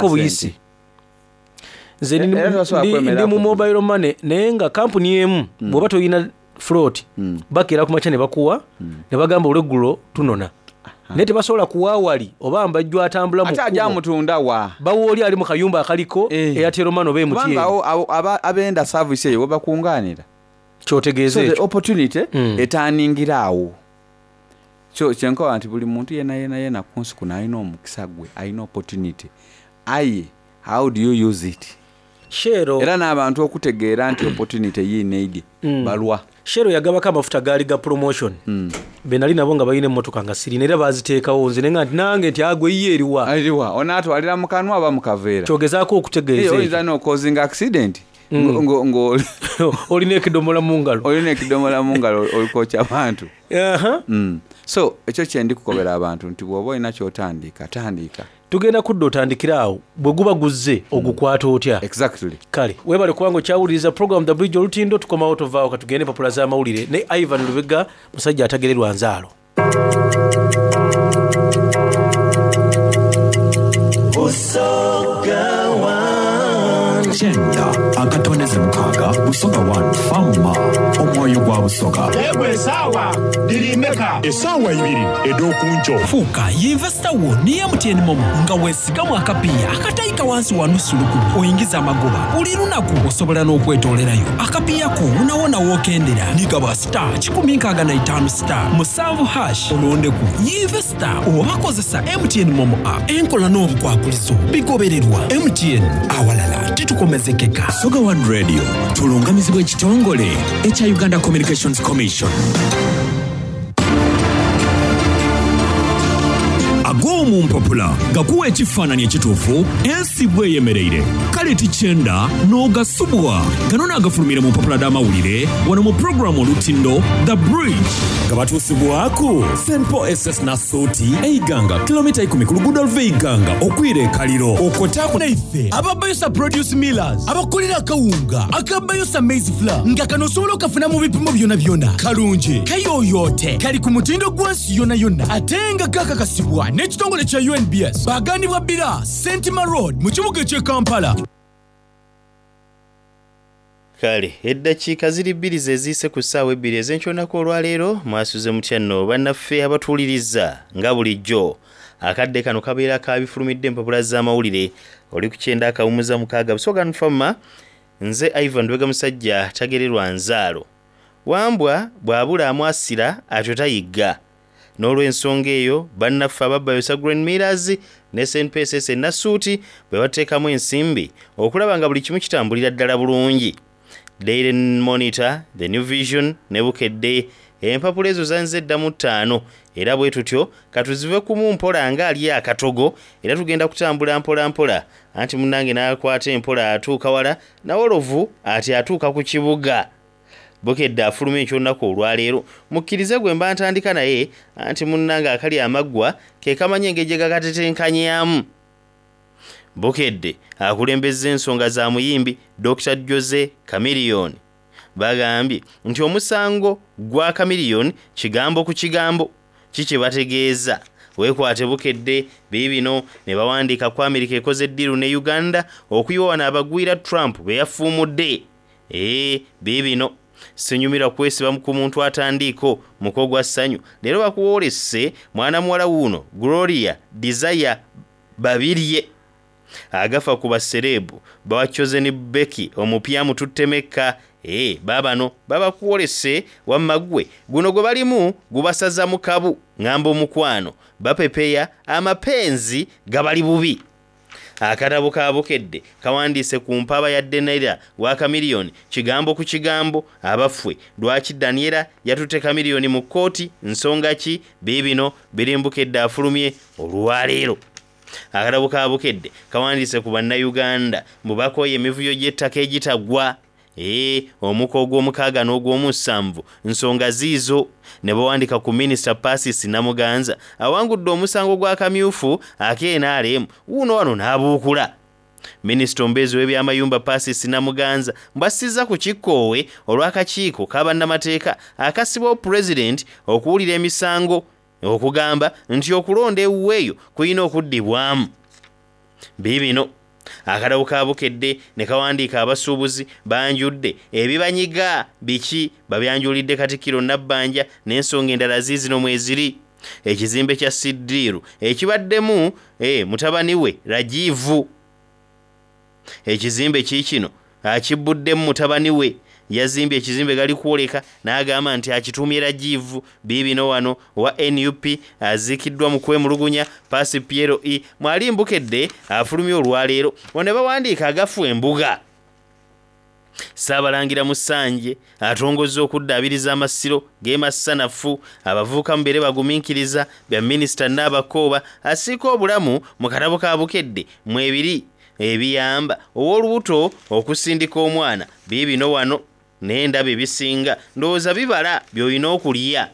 Buyisi. Nze ndi, Era tosobola ndi, ndi kwemeraku mu ku mobile money naye nga kampuni emu bw'oba tolina float bakeera ku makya ne bakuwa ne bagamba olweggulo tunona. Naye tebasobola kuwa wali oba mbajjo atambula mu Ate aja kkubo. mutunda wa? Bawa oli ali mu kayumba akaliko Eh. Airtel Money oba MTN. Kubanga awo abo aba abenda service eyo webakunganira. Kyotegeeza So the ekyo. opportunity etaningira awo. So kyenkoba nti buli muntu yena yena yena ku nsi kuno alina omukisa gwe, alina opportunity. Aye how do you use it? Shell Era n'abantu okutegeera nti opportunity yiino eidye balwa. Shell yagabako amafuta gaali ga promotion. Be nali nabo nga balina emmotoka nga sirina era baaziteekawo nze ne nga nti nange nti agwe yiyo eriwa. Eriwa onaatwalira mu kanwa oba mu kaveera? Kyogezaako okutegeeza ekyo. Oyinza n'okozinga accident ngo- ngo- Olina ekidomola mu ngalo. olina ekidomola mu ngalo olikokya abantu. Aha. So ekyo kye ndi kukobera abantu nti bw'oba olina ky'otandika tandika. Tugenda kudda otandikire awo bwe guba guzze ogukwata otya? Exactly. Kale weebale kubanga okyawuliriza program The Bridge Olutindo. Tukomawo tovaawo katugende empapula z'amawulire ne Ivan Lubega musajja atagererwa nzaalo. Kyenda akatondeze mukaaga Busoga 1 Fama omwoyo gwa Busoga. Yegwe esaawa dhiri meka? Esaawa ibiri ed'okunco. Fuuka yinvesita wo ni MTN Momo nga weesigamu akapiiya akatayika wansi wa nusu lukumi oyingiza amagoba buli lunaku osobola n'okwetoolerayo akapiiya ko wonawona w'okendera nigaba star 165 star 7 hash olondeku yinvesita oba kozesa MTN Momo app enkola n'obukwakulizo bigobererwa MTN awalala titukomezekeka. Busoga One Radio tulungamizibwa ekitongole ekya Uganda Communications Commission. Ag'omu mpapula gakuwa ekifaananyi ekituufu ensi bweyemereire kale tikyenda n'ogasubwa gano naagafulumire mu mpapula d'amawulire wano mu puroguramu Olutindo The Bridge nga batuusibwaku St Paul SS Nasuuti Eiganga kilomita 10 ku luguudo luva Eiganga okwira ekaliro okotaku Naife ababayosa Produce Millers abakolera akawunga akabayosa maize flour nga kano osobola okafuna mu bipimo byona byona kalungi kayoyote kali ku mutindo gwansi yona yonna ate nga kakakasibwa n'ekitongole kya UNBS baganibwa Bira Sentima Road mu kibuga eky'e Kampala. Kale eddakiika ziri bbiri ze ziyise ku ssaawa ebbiri ez'enkyonaku olwaleero. Mwasuze mutya nno bannaffe abatuwuliriza? Nga bulijjo akadde kano kabeera kabifulumidde empapula z'amawulire. Oli ku kyenda akawumuza mukaaga Busoga Nfama. Nze Ivan Lubega musajja tagererwa nzaalo. Wambwa bw'abula amwasira atyo tayigga. N'olw'ensonga eyo bannaffe ababbayosa Green Millers ne St PSS Nasuuti bwe bateekamu ensimbi okulaba nga buli kimu kitambulira ddala bulungi. Daily Monitor, The New Vision ne Bukedde empapula ezo zanze dda mu ttaano era bwe tutyo katuzive kumu mpola nga ali akatogo era tugenda kutambula mpola mpola anti munnange n'akwata empola atuuka wala nawolovu ati atuuka ku kibuga. Bukedde afuluma eky'olunaku olwaleero mukkirize gwe mba ntandika naye anti munnange akali amaggwa ke kamanyi engeri gye gakatetenkanyaamu. Bukedde akulembezza ensonga za muyimbi Dr. Jose Chameleone. Bagambye nti omusango gwa Chameleone kigambo ku kigambo kikibategeeza. Weekwate Bukedde biibino ne bawandiika ku Amerika ekoze ddiiru ne Uganda okuyiwa wano abagwira Trump be yafuumudde. Biibino sinyumirwa kwesiba ku muntu atandiiko muko gwa ssanyu. Leero bakuwoolese mwana muwala wuuno Gloria Desire Babirye. Agafa ku basereebu bawa Chosen Becky omupya mututte Mekka. Baabano babakuwolese wamma ggwe guno gwe balimu gubasaza mu kabu ŋŋamba omukwano bapepeya amapenzi gabali bubi. Akatabo ka Bukedde kawandiise ku mpaba ya Daniela wa Chameleone kigambo ku kigambo abaffe lwaki Daniela yatutte Chameleone mu kkooti nsonga ki biibino biri mu Bukedde afulumye olwaleero. Akatabo ka Bukedde kawandiise ku bannayuganda mbu bakooye emivuyo gy'ettaka egitaggwa. Omuko ogw'omukaaga n'ogw'omusanvu nsonga ziizo ne bawandiika ku Minisita Persis Namuganza awangudde omusango gwa kamyufu ak'NRM wuuno wano n'abuukula. Minisita omubeezi w'ebyamayumba Persis Namuganza mbw'assizza ku kikkoowe olw'akakiiko k'abannamateeka akassibwawo Pulezidenti okuwulira emisango okugamba nti okulonda ewuwe eyo kulina okuddibwamu. Biibino. Akatabo ka Bukedde ne kawandiika abasuubuzi banjudde ebibanyiga biki babyanjulidde Katikkiro Nabbanja n'ensonga endala ziizino mweziri. Ekizimbe kya Siddiiru ekibaddemu eh, mutabani we Rajiv. Ekizimbe kiikino akibbuddemu mutabani we yazimbye ekizimbe gali kwoleka n'agamba nti akituumye Rajiv. Biibino wano owa nup aziikiddwa mu kwemulugunya Paasi Piero E mwali Mbukedde afulumye olwaleero. Wano ne bawandiika agafu embuga. Ssaabalangira Musanje atongozza okuddaabiriza amasiro g'e Masanafu. Abavubuka mubeere bagumiikiriza, bya Minisita Nabakooba asiika obulamu mu katabo ka Bukedde mwebiri ebiyamba ow'olubuto okusindika omwana. Biibino wano naye ndaba ebisinga ndowooza bibala by'olina okulya.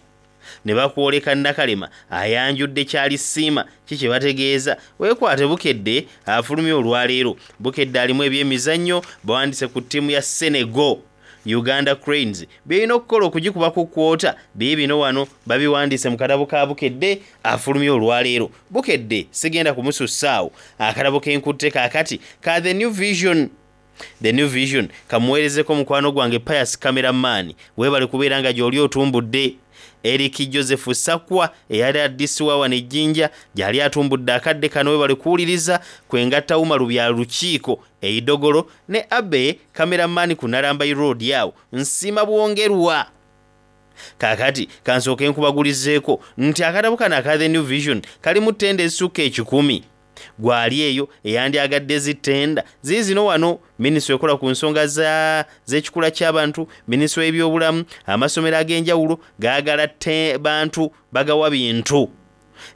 Ne bakwoleka Nakalema ayanjudde kyalisiima ki kye bategeeza. Weekwate Bukedde afulumye olwaleero. Bukedde alimu ebyemizannyo bawandiise ku ttiimu ya Senegal Uganda Cranes by'erina okukola okugikuba ku kwota. Biibino wano babiwandiise mu katabo ka Bukedde afulumye olwaleero. Bukedde sigenda kumusussaawo. Akatabo ke nkutte kaakati ka The New Vision. The New Vision kamuweerezeko mukwano gwange Pius Cameraman, weebale kubeera nga gy'oli otumbudde. Eric Joseph Sakwa eyali addisiwa wano e Jinja gy'ali atumbudde akadde kano, weebale kuwuliriza kwengatta Umaru bya Lukiiko e Idogolo ne Abe Cameraman ku Narambai Road awo nsiima bwongerwa. Kaakati kansooke nkubagulizeeko nti akatabo kano aka The New Vision kalimu ttenda ezisukka 100. Gwali eyo eyandyagadde zittenda ziizino wano. Minisitule ekola ku nsonga z'ekikula ky'abantu, minisitule y'ebyobulamu, amasomero ag'enjawulo gaagala bantu bagawa bintu.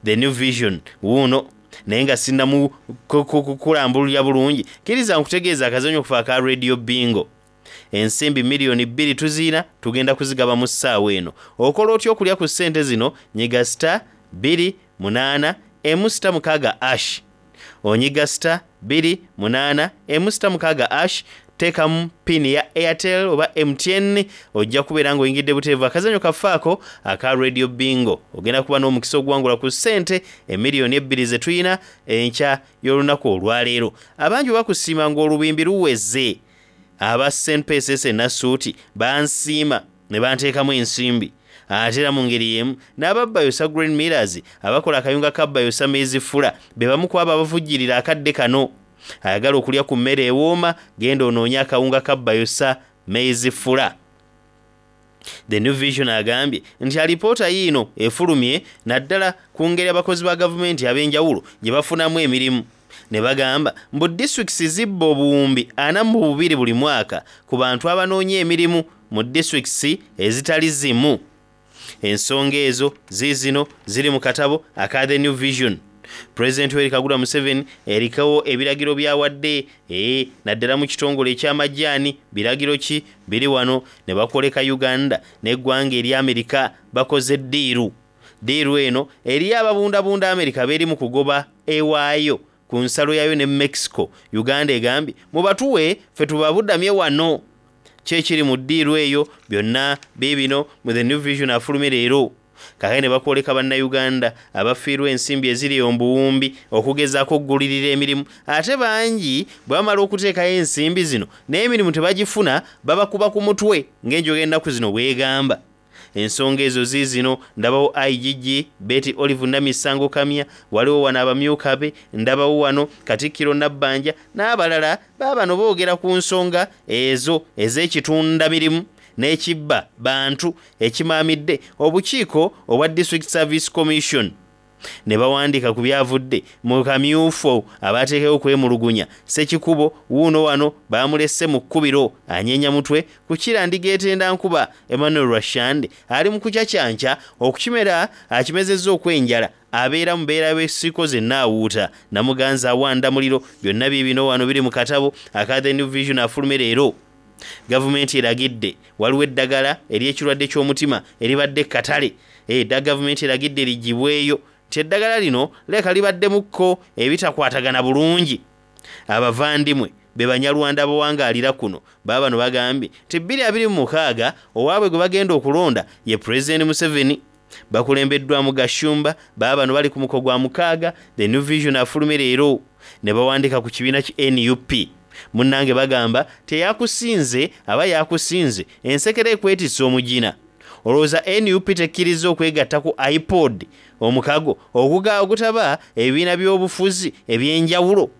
The New Vision wuuno. Naye nga sinnamu kulambululira bulungi, kkiriza nkutegeeza akazannyo okufa aka Radio Bingo. Ensimbi 2 miliyoni tuziina, tugenda kuzigaba mu ssaawa eno. Okola otya okulya ku ssente zino? Nyiga star 2 8 emu star 6 hash. Onyiga star 2 8 emu star 6 hash, teekamu pin ya Airtel oba MTN, ojja kubeera ng'oyingidde buteevu akazannyo kafaako aka Radio Bingo. Ogenda kuba n'omukisa oguwangula ku ssente 2 miliyoni ze tuyina enkya y'olunaku olwaleero. Abangi bakusiima ng'olubimbi luweze. Aba SNPSS Nasuuti bansiima ne banteekamu ensimbi. Ate era mu ngeri y'emu n'aba Bayosa Green Millers abakola akayunga ka Bayosa Maize Flour be bamu ku abo abavujjirira akadde kano. Ayagala okulya ku mmere ewooma, genda onoonye akawunga ka Bayosa Maize Flour. The New Vision agambye nti alipoota yiino efulumye naddala ku ngeri abakozi ba gavumenti ab'enjawulo gye bafunamu emirimu, ne bagamba mbu disitulikiti zibba 42,000 buli mwaka ku bantu abanoonya emirimu mu disitulikiti ezitali zimu. Ensonga ezo ziizino ziri mu katabo aka The New Vision. Pulezidenti Yoweri Kaguta Museveni erikawo ebiragiro byawadde naddala mu kitongole ekyamajaani. Biragiro ki biri wano? Ne bakoleka Uganda n'eggwanga erya Amerika bakoze deal. Deal eno eriyo ababundabunda Amerika beeri mu kugoba ewaayo ku nsalo yaayo ne Mexico. Uganda egambye mubatuwe ffe tubabudamye wano. Kyekiri mu deal eyo byonna biibino mu The New Vision afulumye leero. Kakati ne bakwoleka bannayuganda abafiirwa ensimbi eziri omubuwumbi okugezaako okugulirira emirimu, ate bangi bwe bamala okuteekayo ensimbi zino n'emirimu tebagifuna, babakuba ku mutwe ng'enjoga ennaku zino bwegamba. Ensonga ezo ziizino. Ndabawo IGG Betty Olive Namisango Kamya, waliwo wano abamyuka be, ndabawo wano Katikkiro Nabbanja n'abalala. Baabano boogera ku nsonga ezo ez'ekitundamirimu n'ekibba bantu ekimaamidde obukiiko obwa District Service Commission, ne bawandiika ku byavudde mu kamyufu abateekewo okwemulugunya. Sekikubo wuuno wano bamulese mu kkubiro anyeenya mutwe ku kirandiga etenda nkuba. Emmanuel Rwashande ali mu kucacyanca okukimera akimezezza okwenjala, abeera mubeera w'esiiko zennaawuuta Namuganza awanda muliro. Byonna biibino wano biri mu katabo aka The New Vision afulume leero. Gavumenti eragidde, waliwo eddagala ery'ekirwadde ky'omutima eribadde katale edda, gavumenti eragidde ligibweyo nti eddagala lino leka libaddemukko ebitakwatagana bulungi. Abavandimwe be Banyarwanda abawangaalira kuno baabano bagambye nti 2026 owaabwe gwe bagenda okulonda ye Pulezidenti Museveni, bakulembeddwamu Gashumba. Baabano bali ku muko gwa mukaaga. The New Vision afulume leero. Ne bawandiika ku kibiina ki nup. Munnange bagamba ti eyakusinze aba yakusinze, ensekere ekwetisse omugina. Olowooza nup tekkirizza okwegatta ku IPOD, omukago ogutaba ebibiina by'obufuzi eby'enjawulo?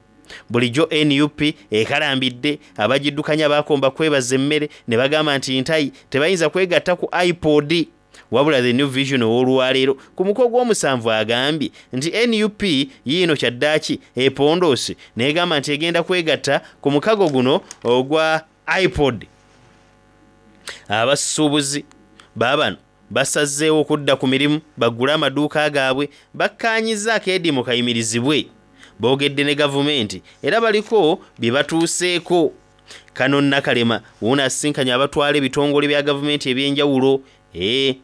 Bulijjo nup ekalambidde abagiddukanya bakomba kwebaza emmere ne bagamba nti ntayi tebayinza kwegatta ku IPOD. Wabula The New Vision ow'olwaleero ku muko gw'omusanvu agambye nti nup yiino kyaddaaki epondoose n'egamba nti egenda kwegatta ku mukago guno ogwa IPOD. Abasuubuzi baabano basazeewo okudda ku mirimu baggule amaduuka gaabwe, bakkaanyizza akeediimo kayimirizibwe. Boogedde ne gavumenti era baliko bye batuuseeko. Kano Nakalema wuuno asisinkanye abatwala ebitongole bya gavumenti eby'enjawulo.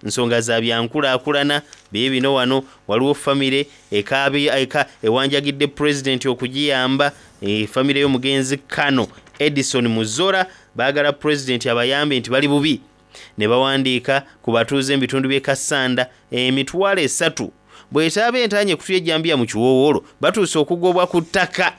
Nsonga za byankulaakulana biibino wano. Waliwo famire ewanjagidde pulezidenti okugiyamba. Famire y'omugenzi Kano Edison Muzora baagala pulezidenti abayambe nti bali bubi. Ne bawandiika ku batuuze mu bitundu by'e Kassanda emitwalo 3 bw'etaaba entaanye ekutula ejjambiya mu kiwoowoolo batuuse okugobwa ku ttaka.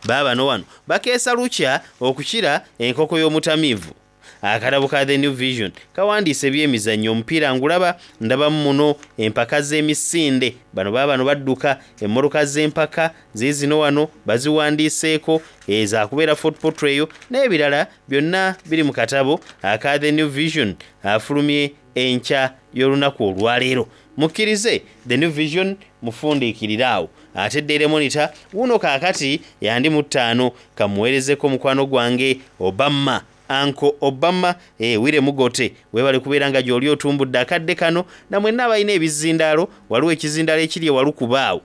Baabano wano bakeesa lukya okukira enkoko y'omutamiivu. Akatabo ka The New Vision kawandiise ebyemizannyo, omupiira ngulaba ndabamu muno empaka z'emisinde. Bano baabano badduka emmotoka z'empaka ziizino wano baziwandiiseeko, ezakubeera Fort Portal eyo n'ebirala byonna biri mu katabo aka The New Vision afulumye enkya y'olunaku olwaleero. Mukkirize The New Vision mufundiikirire awo. Ate Daily Monitor wuuno kaakati yandi mu 5 kamuweerezeko mukwano gwange Obama, Uncle Obama, Wire Mugote, weebale kubeera nga gy'oli otumbudde akadde kano. Na mwenna abalina ebizindaalo, waliwo ekizindaalo ekiri ewalukubaawo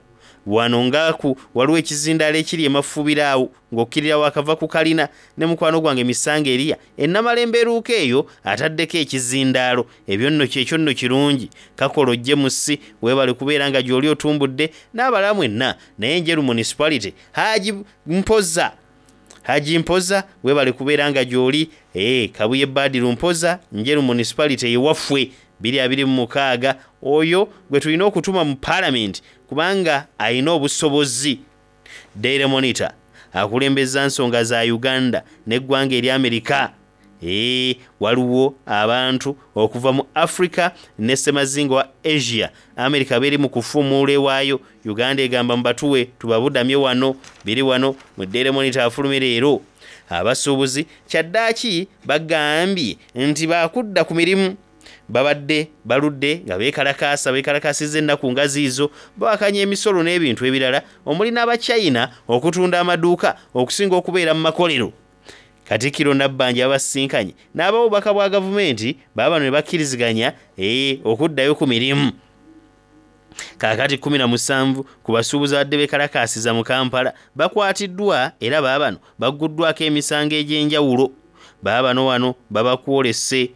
wano ngaaku, waliwo ekizindaalo ekiri emafubiraawo ng'okkirira wakava ku kalina, ne mukwano gwange Misanga Eriya ennamalembe eruuka eyo ataddeko ekizindaalo. Ebyo nno kyekyo nno kirungi. Kakolo James weebale kubeera nga gy'oli otumbudde n'abalala mwenna. Naye Njeru Municipality Haji Mpoza, Haji Mpoza weebale kubeera nga gy'oli. Kabuye Badiru Mpoza, Njeru Municipality ewaffe 2026, oyo gwe tulina okutuma mu Parliament kubanga alina obusobozi. Daily Monitor akulembeza nsonga za Uganda n'eggwanga erya Amerika. Waliwo abantu okuva mu Africa ne ssemazinga wa Asia. Amerika beri mu kufuumuula ewaayo. Uganda egamba mubatuwe tubabudamye wano. Biri wano mu Daily Monitor afulumye leero. Abasuubuzi kyaddaaki bagambye nti baakudda ku mirimu. Babadde baludde nga beekalakaasa, beekalakaasizza ennaku nga ziizo, bawakanya emisolo n'ebintu ebirala omuli n'Abachina okutunda amaduuka okusinga okubeera mu makolero. Katikkiro Nabbanja yabasinkanye n'abawa obubaka bwa gavumenti, baabano ne bakkiriziganya okuddayo ku mirimu. Kaakati 17 ku basuubuzi abadde beekalakaasiza mu Kampala bakwatiddwa era baabano bagguddwako emisango egy'enjawulo. Baabano wano babakwolese.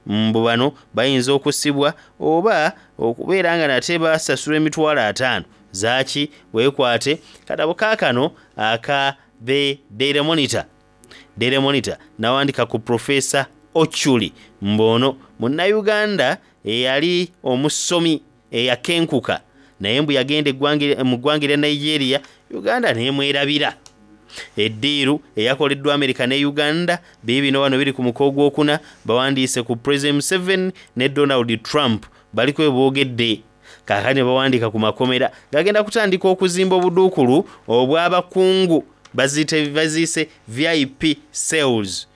Mbu bano bayinza okusibwa oba okubeera nga nate basasula emitwalo 5 zaaki. Weekwate katabo kaakano aka The Daily Monitor. Daily Monitor nawandika ku Professor Ochuli mbono munnayuganda eyali omusomi eyakenkuka, naye mbu yagenda mu ggwanga erya Nigeria, Uganda n'emwerabira. Eddiiru eyakoleddwa Amerika ne Uganda biibino wano biri ku muko ogwokuna. Bawandiise ku President Museveni ne Donald Trump, baliko bwe boogedde. Kaakati ne bawandiika ku makomera gagenda kutandika okuzimba obuduukulu obw'abakungu, baziise VIP cells.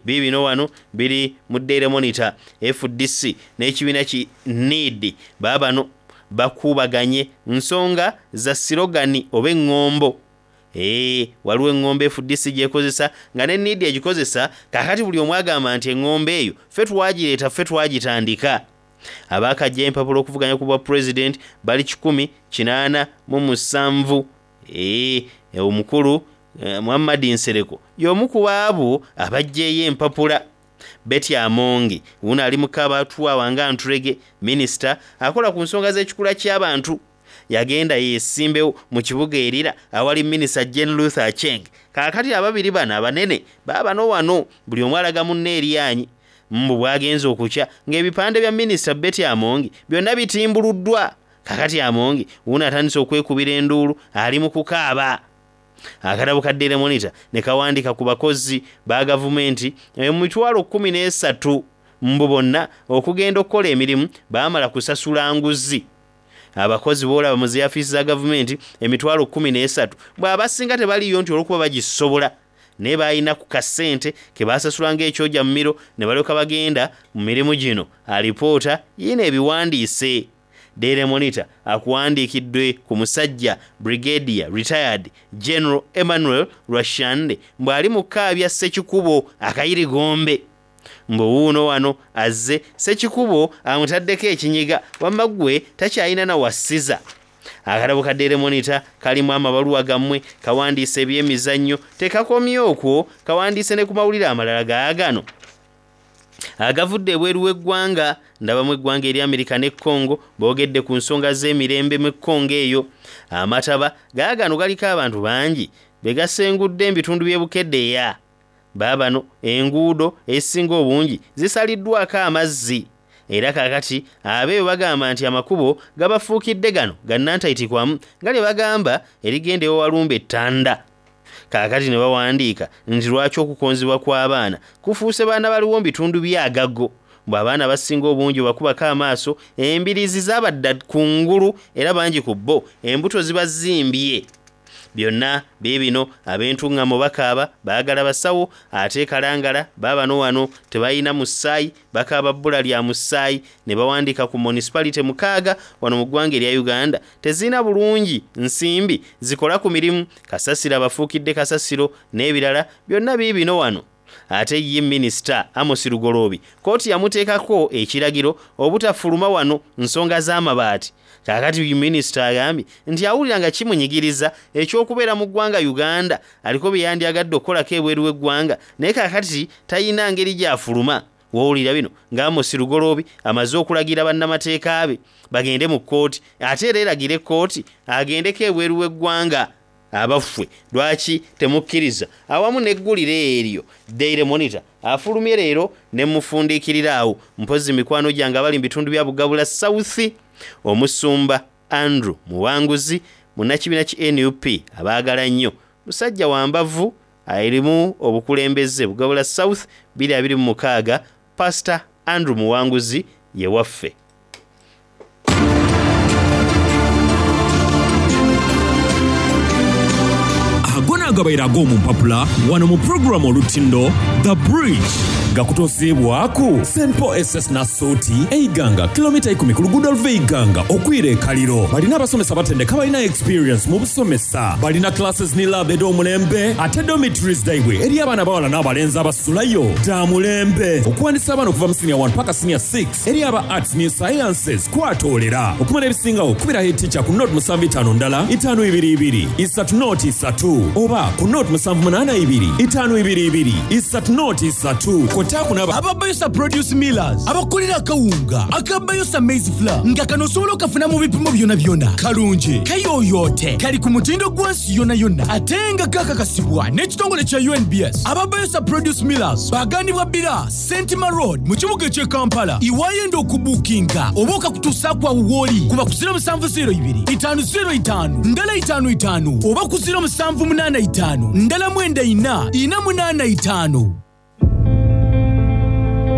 Biibino wano biri mu Daily Monitor. FDC n'ekibiina ki NEED baabano bakuubaganye nsonga za sirogani oba eŋŋombo. Waliwo eŋŋombo FDC gy'ekozesa nga ne NEED egikozesa. Kaakati buli omu agamba nti eŋŋombo eyo ffe twagireeta, ffe twagitandika. Abaakajja empapula okuvuganya ku bwa pulezidenti bali 187. Omukulu Muhammad Nsereko y'omu ku baabo abaggyeyo empapula. Betty Amongi wuno ali mu kabatwawa nga Ntulege, minisita akola ku nsonga z'ekikula ky'abantu, yagenda yeesimbewo mu kibuga erira awali minisita Jane Luther Acheng. Kaakati ababiri bano abanene baabano wano buli omu alaga munne eryanyi. Mbu bwagenze okukya ng'ebipande bya minisita Betty Amongi byonna bitimbuluddwa. Kakati Amongi wuuno atandise okwekubira enduulu ali mu kukaaba. Akatabo ka Daily Monitor ne kawandiika ku bakozi ba gavumenti emitwalo 13 mbu bonna okugenda okukola emirimu baamala kusasula nguzi. Abakozi b'olaba mu zi afiisi za gavumenti emitwalo 13 mbu abasinga tebaliiyo nti olw'okuba bagisobola naye baalina ku kasente ke baasasula ng'ekyoja mumiro ne balyoka bagenda mu mirimu gino. Alipoota yiino ebiwandiise. Daily Monitor akuwandiikidde ku musajja Brigadier Retired General Emmanuel Rwashande mbu ali mu kukaabya Ssekikubo akayirigombe. Mbu wuuno wano azze Ssekikubo amutaddeko ekinyiga wamma ggwe takyalina na wassiza. Akatabo ka Daily Monitor kalimu amabaluwa gammwe, kawandiise ebyemizannyo, tekakomye okwo, kawandiise ne ku mawulire amalala gaagano agavudde ebweru w'eggwanga. Ndabamu eggwanga erya Amerika ne Congo boogedde ku nsonga z'emirembe mu Congo eyo. Amataba gaagano galiko abantu bangi be gasengudde mu bitundu by'e Bukedea. Baabano enguudo ezisinga obungi zisaliddwako amazzi era kaakati abeeyo bagamba nti amakubo gabafuukidde gano ga nnantaitikwamu nga lye bagamba erigenda ewa Walumbe Ttanda. Kaakati ne bawandiika nti lwaki okukonzibwa kw'abaana kufuuse baana baliwo mu bitundu by'Agago. Mbu abaana abasinga obungi obakubako amaaso embiriizi zabadda ku ngulu era bangi ku bo embuto zibazimbye. Byonna biibino ab'entuŋŋamo bakaaba baagala basawo ate e Kalangala baabano wano tebalina musaayi bakaaba bbula lya musaayi ne bawandiika ku municipality 6 wano mu ggwanga erya Uganda tezirina bulungi nsimbi zikola ku mirimu kasasiro abafuukidde kasasiro n'ebirala byonna biibino wano. Ate ye minisita Amos Lugoloobi kkooti yamuteekako ekiragiro obutafuluma wano nsonga z'amabaati. Kaakati minisita agambye nti awulira nga kimunyigiriza eky'okubeera mu ggwanga Uganda aliko bye yandyagadde okukolako ebweru w'eggwanga naye kaakati talina ngeri gy'afuluma. W'owulira bino nga Amos Lugoloobi amaze okulagira bannamateeka be bagende mu kkooti ate era eragire kkooti agendeko ebweru w'eggwanga. Abaffe lwaki temukkiriza awamu n'eggulire eryo Daily Monitor afulumye leero ne mufundiikirira awo mpozzi mikwano gyange abali mu bitundu bya Bugabula South omusumba Andrew Muwanguzi munnakibiina ki NUP abaagala nnyo musajja wa mbavu erimu obukulembeze Bugabula South 2026 Pastor Andrew Muwanguzi ye waffe. Ago n'agabaire ag'omu mpapula wano mu pulogulaamu Olutindo The Bridge gakutuusiibwaku St Paul SS Nassuuti e Iganga kilomita ikumi ku luguudo oluva e Iganga okwira e Kaliro. Balina abasomesa abatendeke abalina experience mu busomesa. Balina classes ni lab edh'omulembe ate dormitories dhaibwe eri abaana abawala n'abalenzi abasulayo dha mulembe. Okuwandisa abaana okuva mu senior 1 paka senior 6 Eri aba Arts ni Sciences kwatoolera. Okumanya ebisingagho kubira head teacher ku nought musanvu itaanu ndala itaanu ibiri ibiri isatu nought isatu oba ku nought musanvu munaana ibiri itaanu ibiri ibiri isatu nought isatu. Kwotaaku n'aba. Aba Bayosa Produce Millers abakolera akawunga aka Bayosa Maize Flour nga kano osobola okafuna mu bipimo byonabyona. Kalungi, kayoyoote, kali ku mutindo gwa nsi yonayona ate nga kakakasibwa n'ekitongole kya UNBS. Aba Bayosa Produce Millers bagandibwa Bbira Sentima Road mu kibuga eky'e Kampala. Iwayenda okubuukinga oba okakutuusaaku awo w'oli kuba ku 0702 505 ndala 55 oba ku 0785 ndala 94 485.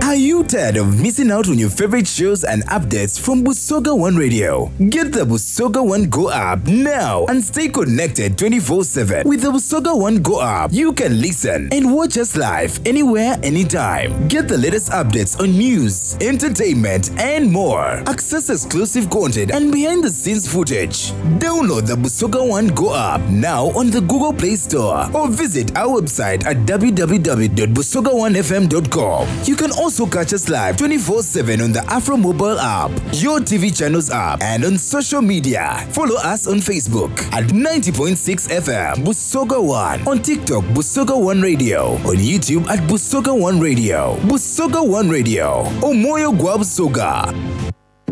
Are you tired of missing out on your favorite shows and updates from Busoga One Radio? Get the Busoga One Go app now and stay connected 24/7. With the Busoga One Go app, you can listen and watch us live anywhere, anytime. Get the latest updates on news, entertainment, and more. Access exclusive content and behind-the-scenes footage. Download the Busoga One Go app now on the Google Play Store or visit our website at www.busoga1fm.com. You can also catch us live 24/7 on the Afro mobile app, your TV channels app, and on social media. Follow us on Facebook at 90.6 FM Busoga One, on TikTok Busoga One Radio, on YouTube at Busoga One Radio. Busoga One Radio, Omoyo Gwa Busoga.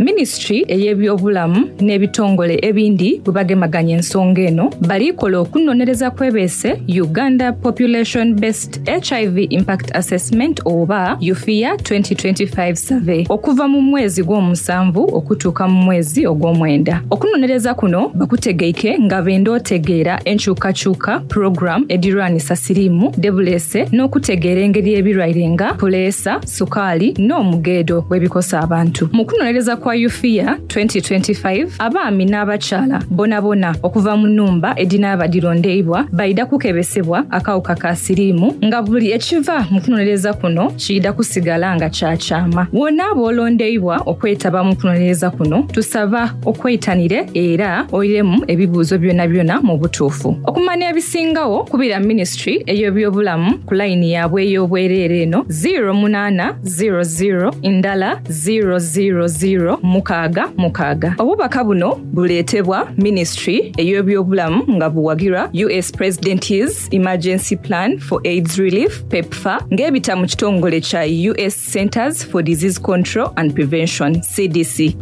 Minisitule ey'ebyobulamu n'ebitongole ebindi bwe bagemaganya ensonga eno, bali kola okunonereza kwebeese Uganda Population Based HIV Impact Assessment oba UFIA 2025 Survey okuva mu mwezi gw'omusanvu okutuuka mu mwezi ogw'omwenda. Okunonereza kuno bakutegeike nga benda otegeera enkyukakyuka program edirwanisa siriimu dhebuleese n'okutegeera engeri ebirwaire nga puleesa, sukaali n'omugeedo bwebikosa abantu. Mu kunonereza kwa UFIA 2025, abaami n'abakyala bonabona okuva mu nhumba edhinaaba dhirondeibwa baidha kukebesebwa akawuka ka siriimu nga buli ekiva mu kunonereza kuno kiidha kusigala nga kya kyama. Bw'onaaba olondeibwa okwetaba mu kunonereza kuno, tusaba okweitanire era oiremu ebibuuzo byonabyona mu butuufu. Okumanya ebisingagho, kubira Minisitule ey'ebyobulamu ku layini yaabwe ey'obwereere eno, 0800 ndala 000 66. Obubaka buno buleetebwa Minisitule ey'ebyobulamu nga buwagirwa US President's Emergency Plan for AIDS Relief, PEPFAR, ng'ebita mu kitongole kya US Centers for Disease Control and Prevention, CDC.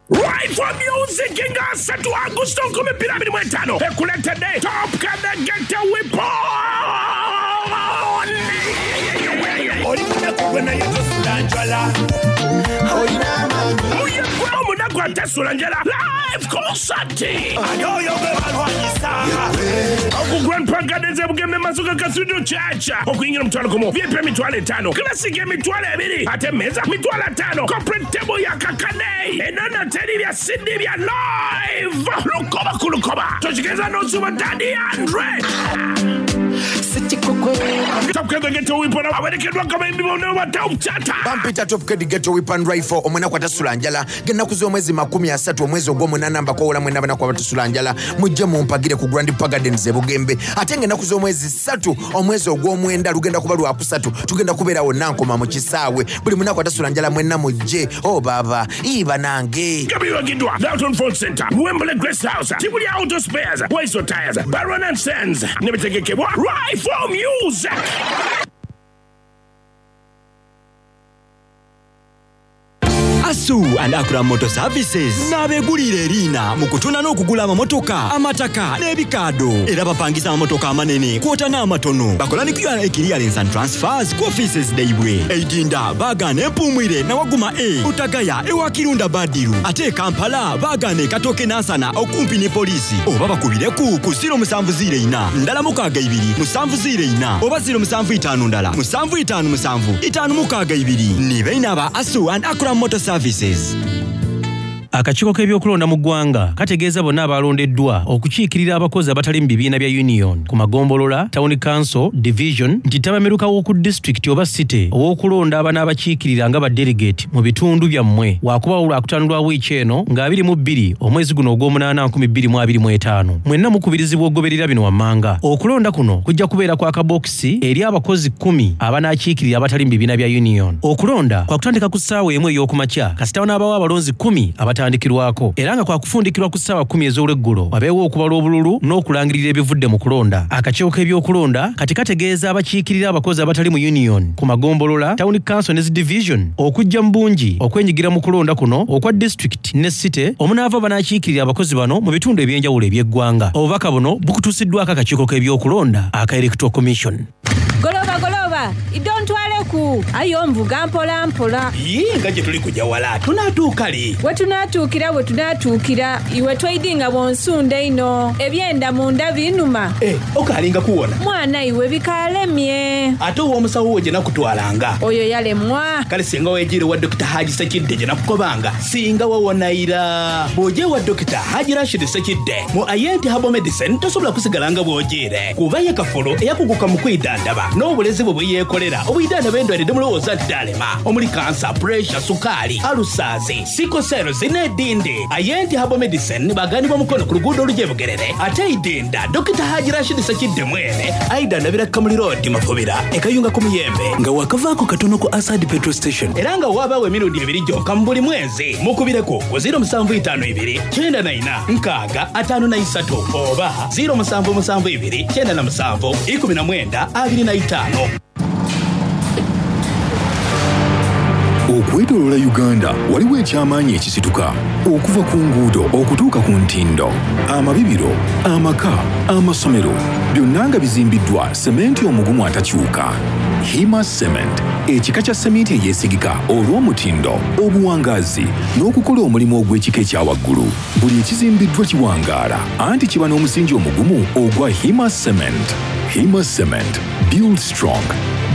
Right for Music nga asatu Agusto 2025 ekuletedde Top Kadegete Weapon. Oli munaku gwe naye tosula njala. Olina amaanyi. Muyegwe omunaku atasula njala live concert. Ani oyo gwe balwanyisa? Oku Grand Park Gardens e Bugembe Masuka Cathedral Church. Okuyingira omutwalo gumu, VIP emitwalo etaano, Classic emitwalo ebiri, ate emmeeza mitwalo ataano, Corporate table ya kakade. Enono teri bya CD bya live. Lukoba ku lukoba. Tokigeza n'osuba Daddy Andre. Top Kid Ghetto Weapon awerekeddwa kabayimbi bonna ba Top Chata. Bampita Top Kid Ghetto Weapon Rifle omunaku atasula njala ng'ennaku z'omwezi 30 omwezi ogw'omunaana mbakoowola mwenna abanaku abatasula njala mujje mumpagire ku Grand Park Gardens e Bugembe ate ng'ennaku z'omwezi ssatu omwezi ogw'omwenda lugenda kuba lwakusatu tugenda kubeera wonna nkoma mu kisaawe buli munaku atasula njala mwenna mujje o oh, baba ii banange. Nga biwagiddwa Dalton Ford Center, Wembley Grace House, Kibuli Auto Spares, Waiso Tires, Baron and Sons ne bitegekebwa Rifle Music. Asu and Akura Motor Services n'abeegulira eriina mu kutunda n'okugula amamotoka, amataka n'ebikaado era bapangisa amamotoka amanene kwota n'amatono. Bakola ni QRA Clearance and Transfers ku offices dhaibwe. Eidinda baagaana Empuumwire na Waguma A, Butagaya ewa Kirunda Badiru ate e Kampala baagaana e Katooke Nansana okumpi ni poliisi oba bakubireku ku 0704 ndala 62 704 oba 07 ndala 757 562 ni baine aba Asu and Akram Motor Services. Akakiiko k'ebyokulonda mu ggwanga kategeeza bonna abaalondeddwa okukiikirira abakozi abatali mu bibiina bya Union ku magombolola, Town Council, Division nti ttabamiruka w'oku disitulikiti oba City ow'okulonda abanaabakiikirira nga ba Delegate mu bitundu byammwe waakubaawo Lwakutaano lwa wiiki eno nga 22 omwezi guno ogw'omunaana 2025. Mwenna mukubirizibwa okugoberera bino wammanga. Okulonda kuno kujja kubeera kwa kabookisi eri abakozi kkumi abanaakiikirira abatali mu bibiina bya Union. Okulonda kwakutandika ku ssaawa emu ey'okumakya kasita wanaabawo abalonzi kkumi abatandikirwako era nga kwakufundikirwa ku ssaawa kkumi ez'olweggulo wabeewo okubala obululu n'okulangirira ebivudde mu kulonda. Akakiiko k'ebyokulonda kati kategeeza abakiikirira abakozi abatali mu Union ku magombolola, Town Council ne zi Division okujja mu bungi okwenyigira mu kulonda kuno okwa Disitulikiti ne City omunaava abanaakiikirira abakozi bano mu bitundu eby'enjawulo eby'eggwanga. Obubaka buno bukutuusiddwako akakiiko k'ebyokulonda aka Electoral Commission. Goloba goloba, idho ntwaleku, aye onvuga mpola mpola. Yii nga gye tuli kuja wala, tunaatuuka li? We tunaatuukira we tunaatuukira, iwe toidhi nga bw'onsunda einho. Ebyenda munda biinuma. Eh, okaalinga kuwona? Mwana iwe bikaalemye. Ate ow'omusawo wo gye nakutwalanga? Oyo yalemwa. Kale singa weejiire wa Dokita Haji Ssekidde gye nakukobanga, singa wawona ira. Bw'oja ewa Dokita Haji Rashid Ssekidde mu Ayenti Herbal Medicine tosobola kusigala nga bw'ojiire kuba ye kafulu eyakuguka mu kwidhandhaba n'obulezi bwe bwe yeekolera obwidhandhaba endwaire dhe mulowooza nti dhaalema omuli kansa, puresha, sukaali, alusaazi, siko seerozi n'edhindi. Ayenti Herbal Medicine baghanibwa Mukono ku luguudo oluja e Bugerere ate e Idinda Dokita Haji Rashid Ssekidde mwene aidhandhabira Kamuli Road Mafubira e Kayunga ku Muyembe nga waakavaako katono ku Asad Petrol Station era nga waabaawo emirundi ebiri gyonka mu buli mwezi. Mukubireku ku 0752 94 60 53 oba 0772 97 19 25. Okwetooloola Uganda waliwo eky'amaanyi ekisituka okuva ku nguudo okutuuka ku ntindo, amabibiro, amaka, amasomero byonna nga bizimbiddwa sementi omugumu atakyuka. Hima Cement, ekika kya seminti eyeesigika olw'omutindo, obuwangaazi n'okukola omulimu ogw'ekika ekya waggulu. Buli ekizimbiddwa kiwangaala anti kiba n'omusingi omugumu ogwa Hima Cement. Hima Cement, build strong,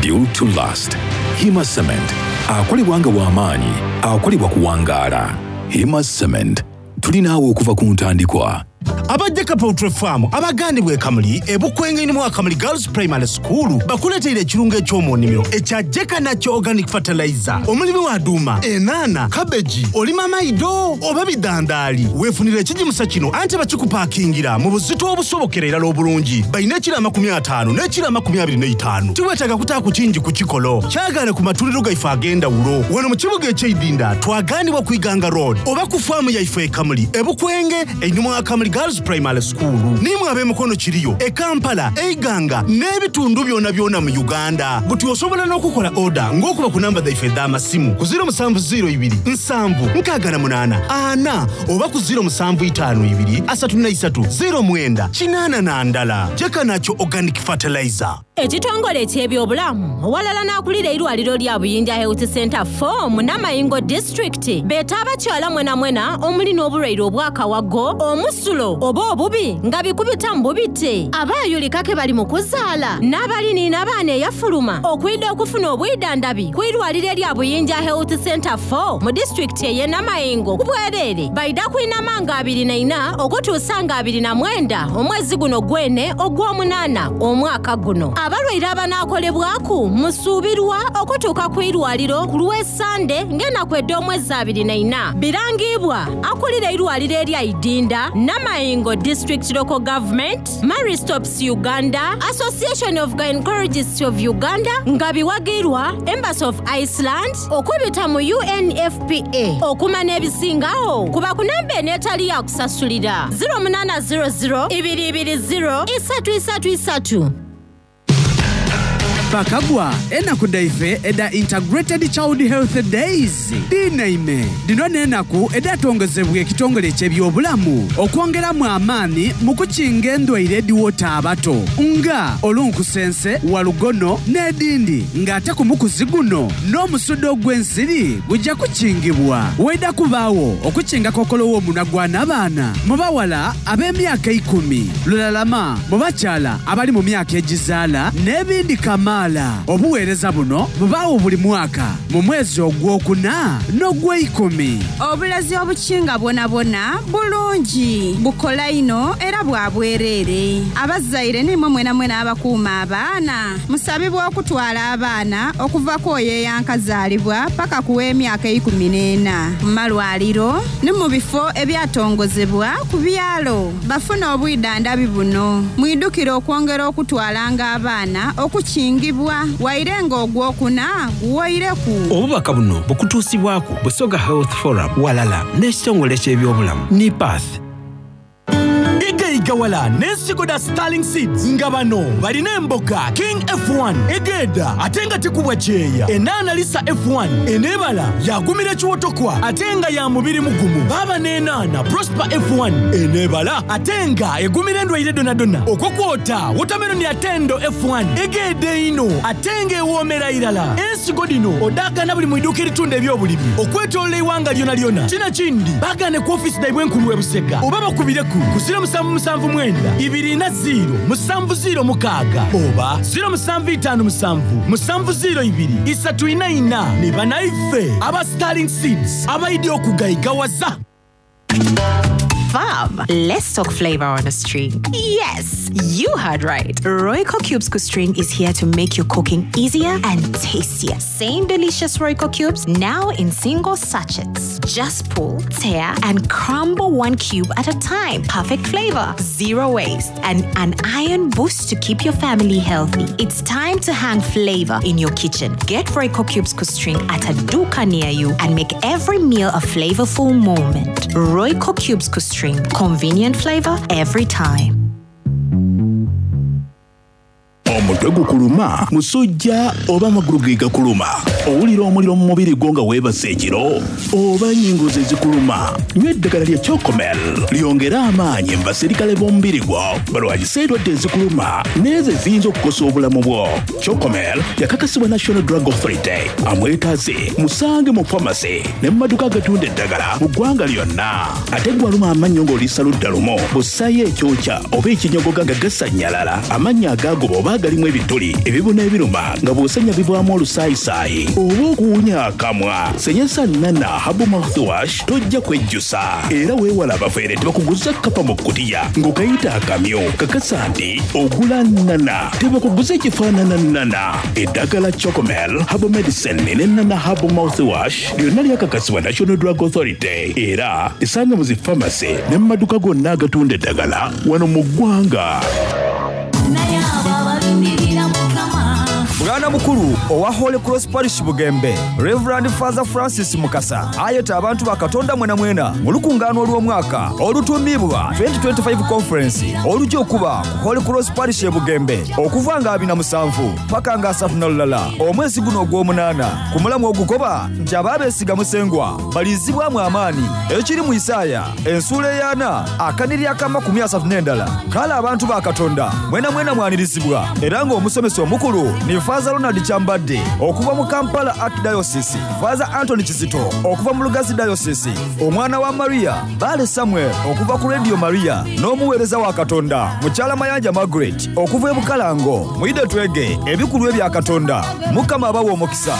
build to last. Hima Cement, akolebwa nga w'amaanyi, akolebwa kuwangaala. Hima Cement, tuli naawe okuva ku ntandikwa. Aba Jeka Poultry Farm abagandibwa e Kamuli e Bukwenge mu Akamuli Girls Primary School bakuleteire ekirungo eky'omu nnimiro ekya Jeka Natural Organic Fertilizer. Omulimi wa duuma, enaana, kabeji, olima maido oba bidandaali, weefunire ekigimusa kino anti bakikupakingira mu buzito obusobokera irala obulungi. Balina ekiro 50 n'ekiro 25. Tiweetaaga kutaaku kingi ku kikolo. Kyagaane ku matundiro gaife ag'endawulo. Wano mu kibuga eky'eidinda twagaanibwa ku Iganga Road oba ku faamu yaife e Kamuli e Bukwenge einhuma wa Kamuli Girls Primary School. Nimwe ab'emikono kiriyo e Kampala, e Iganga n'ebitundu byonabyona mu Uganda. Buti osobola n'okukola oda ng'okuba ku namba dhaife edh'amasimu ku 0702 7 68 4 oba ku 0752 33 09 81. Jeka Nakyo Organic Fertilizer. Ekitongole eky'ebyobulamu owalala n'akulira eirwaliro lya Buyinja Health Centre 4 mu Namayingo disitulikiti beeta abakyala mwenamwena omuli n'obulwaire obw'akawago, omusulo oba obubi nga bikubita mu bubite, abaayulika ke bali mu kuzaala n'abali ni n'abaana eyafuluma okwidha okufuna obwidhandhabi ku irwaliro erya Buyinja Health Centre 4 mu disitulikiti ey'e Namayingo ku bwereere. Baidha kwinama nga 24 okutuusa nga 29 omwezi guno gwene ogw'omunaana omwaka guno. Abalwaire abanaakolebwaku musuubirwa okutuuka ku irwaliro ku lw'esande ng'enaku edh'omwezi 24. Birangiibwa akulira eirwaliro erya Idinda, Namayingo District Local Government, Marie Stopes Uganda, Association of Gynaecologists of Uganda nga biwagirwa Embassy of Iceland okubita mu UNFPA. Okumanya ebisingagho kuba ku namba eno etali ya kusasulira, 0800 220 333. Bakagwa, enaku dhaife edha Integrated Child Health Days dhinaime. Dhino n'enaku edhatongozebwa ekitongole eky'ebyobulamu okwongeramu amaani mu kukinga endwaire edhiwota abato nga olunkusense, walugono n'edhindi nga ate ku mukuzi guno n'omusuda ogw'ensiri guja kukingibwa. Waidha kubaagho okukinga kokolo w'omunwa gwa nabaana mu bawala ab'emyaka eikumi, lulalama mu bakyala abali mu myaka egizaala n'ebindi kamaala. Obuweereza buno bubaagho buli mwaka mu mwezi ogwokuna n'ogweikumi. Obulezi obukinga bwonabwona bulungi, bukola inho era bwa bwereere. Abazaire n'imwe mwenamwena abakuuma abaana, musabibwa okutwala abaana okuva ku oyo eyankazaalibwa paka ku w'emyaka 14 mu malwaliro ni mu bifo ebyatongozebwa ku byalo bafune obwidhandhabi buno. Mwidhukire okwongera okutwalanga abaana okukingibwa waire nga ogwokuna guwoireku. Obubaka buno bukutuusibwaku Busoga Health Forum walala n'ekitongole ky'ebyobulamu NIPATH. Igaigawala n'ensigo dha Sterling Seeds nga bano balina emboga King F1 egeedha ate nga tekubwa kyeya, enaana Lisa F1 eneebala yaagumira ekiwotokwa ate nga ya mubiri mugumu, baaba n'enaana Prosper F1 eneebala ate nga egumira endwaire dhonadhona okwo kwota wotameroni Atendo F1 egeedha einho ate nga ewoomera irala. Ensigo dhino odhaagaana buli mu iduuka eritunda eby'obulimi okwetoolola eighanga lyonalyona. Kino ekindi baagaane ku ofiisi dhaibwe enkulu e Busega oba bakubireku ku 0779 24 0 7 06 oba 0757 702 344 ni banaife aba Sterling Seeds abaidhi okugaigawaza. Fam, let's talk flavor on a string. Yes, you heard right. Royco Cubes String is here to make your cooking easier and tastier. Same delicious Royco cubes now in single sachets. Just pull, tear, and crumble one cube at a time. Perfect flavor, zero waste, and an iron boost to keep your family healthy. It's time to hang flavor in your kitchen. Get Royco Cubes String at a duka near you and make every meal a flavorful moment. Royco Cubes String, convenient flavor every time. Omutwe gukuluma, musujja oba amagulu ge gakuluma? Owulira omuliro mu mubiri gwo nga weebase ekiro? Oba ennyingo ze zikuluma? Nywa eddagala lya Chocomel lyongere amaanyi mu baserikale b'omubiri gwo balwanyise endwadde ezikuluma n'ezo eziyinza okukosa obulamu bwo. Chocomel yakakasibwa National Drug Authority. Amwetaaze musange mu famasi ne mu maduuka agatunda eddagala mu ggwanga lyonna. Ate gwe aluma amannyo ng'oliisa ludda lumu, bw'ossaayo ekyokya oba ekinyogoga nga gasannyalala, amannyo agaagoba oba agalimu ebituli, ebibuna ebiruma nga bw'osenya bivaamu olusaayisaayi oba okuwunya akamwa, senyesa Nana Herbal Mouthwash tojja kwejjusa. Era weewale abafere tebakuguza kkapa mu kkutiya ng'okayita akamyu. Kakasa nti ogula Nana, tebakuguza ekifaanana Nana. Eddagala Chocomel Herbal Medicine ne Nana Herbal Mouthwash lyonna lyakakasibwa National Drug Authority era esanga mu zi famasi ne mu maduka gonna agatunda eddagala wano mu ggwanga. Bwana mukulu owa Holy Cross Parish Bugembe, Rev. Father Francis Mukasa ayeta abantu ba Katonda mwenamwena mu lukungaano olw'omwaka olutuumibwa 2025 Conference oluja okuba ku Holy Cross Parish e Bugembe okuva nga 27 paka nga 31 omwezi guno ogw'omunaana. Ku mulamwa ogukoba nti abo abeesiga Musengwa baliizibwamu amaani, ekiri mu Isaaya ensuula ey'ana akanhiriri ak'amakumi asatu n'endala. Kale abantu ba Katonda mwenamwena mwanirizibwa era ng'omusomesa omukulu ni Faaza Ronald Kyambadde okuva mu Kampala Archdiocese, Faaza Anthony Kizito okuva mu Lugazi Diocese, Omwana wa Maria Bbaale Samuel okuva ku Radio Maria n'omuweereza wa Katonda Mukyala Mayanja Margaret okuva e Bukalango. Mwidhe twege ebikulwa ebya Katonda. Mukama abawe omukisa.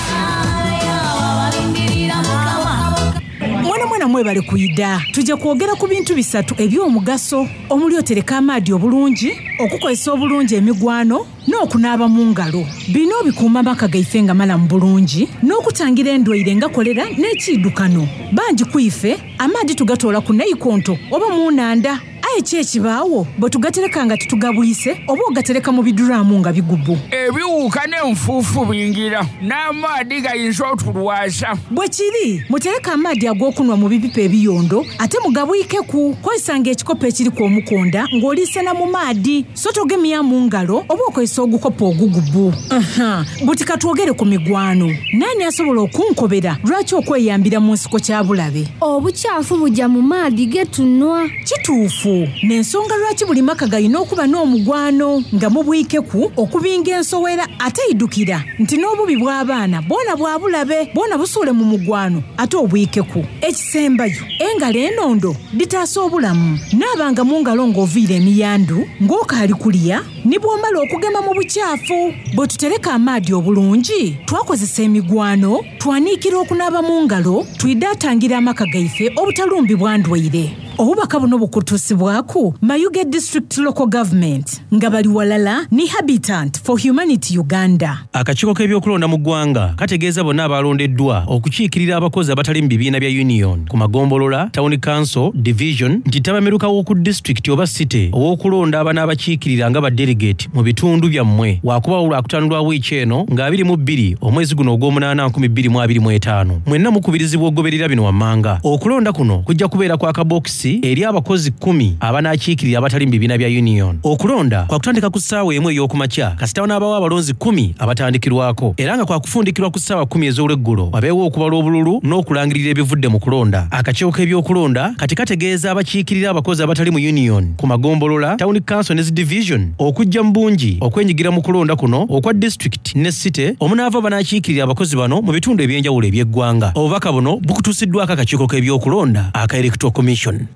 Mwena mwena mwebale kwidha. Tuje kwogera ku bintu bisatu eby'omugaso omuli otereka amaadhi obulungi, okukozesa obulungi emigwano n'okunaaba mu ngalo. Bino bikuuma amaka gaife nga malamu bulungi n'okutangira endwaire nga kolera n'ekiidukano. Bangi ku ife amaadhi tugatoola ku naikonto oba mu nhandha. Aye ki ekibaagho bwe tugatereka nga titugabwise oba ogatereka mu biduraamu nga bigubu? Ebiwuuka n'enfuufu bingira, n'amaadhi gayinza otulwaza. Bwe kiri, mutereke amaadhi ag'okunhwa mu bipipa ebiyondo ate mugabwikeku. Kozesanga ekikopo ekiriku omukonda ng'oliisena mu maadhi, so togemyamu ngalo oba okozesa ogukopo ogugubu. Aha, buti ka twogere ku migwano. Naani asobola okunkobera lwaki okweyambira mu nsiko kya bulabe? Obukyafu buja mu maadhi ge tunhwa. Kituufu. N'ensonga lwaki buli maka galina okuba n'omugwano nga mubwikeku okubinga ensowera ate idhukira nti n'obubi bw'abaana bwona bwa bulabe bwona busuule mu mugwano ate obwikeku. Ekisembayo, engalo enondo dhitaasa obulamu. Naabanga mu ngalo ng'oviire emiyandu, ng'okaali kulya, ni bw'omala okugema mu bukyafu. Bwe tutereka amaadhi obulungi, twakozesa emigwano, twaniikira okunaaba mu ngalo, twidha tangira amaka gaife obutalumbibwa ndwaire. Obubaka buno bukutuusibwaku Mayuge District Local Government nga bali walala ni Habitant for Humanity Uganda. Akakiiko k'ebyokulonda mu ggwanga kategeeza bonna abaalondeddwa okukiikirira abakozi abatali mu bibiina bya Union ku magombolola, Town Council, Division nti ttabamiruka w'oku disitulikiti oba City ow'okulonda abanaabakiikirira nga ba Delegate mu bitundu byammwe waakubawo Lwakutaano lwa wiiki eno nga 22 omwezi guno ogw'omunaana 2025. Mwenna mukubirizibwa okugoberera bino wammanga. Okulonda kuno kujja kubeera kwa kabookisi eri abakozi kkumi abanaakiikirira abatali mu bibiina bya Union. Okulonda kwakutandika ku ssaawa emu ey'okumakya kasita wanaabawo abalonzi kkumi abatandikirwako era nga kwakufundikirwa ku ssaawa kkumi ez'olweggulo wabeewo okubala obululu n'okulangirira ebivudde mu kulonda. Akakiiko k'ebyokulonda kati kategeeza abakiikirira abakozi abatali mu Union ku magombolola, Town Council ne zi Division okujja mu bungi okwenyigira mu kulonda kuno okwa Disitulikiti ne City omunaava abanaakiikirira abakozi bano mu bitundu eby'enjawulo eby'eggwanga. Obubaka buno bukutuusiddwako akakiiko k'ebyokulonda aka Electoral Commission.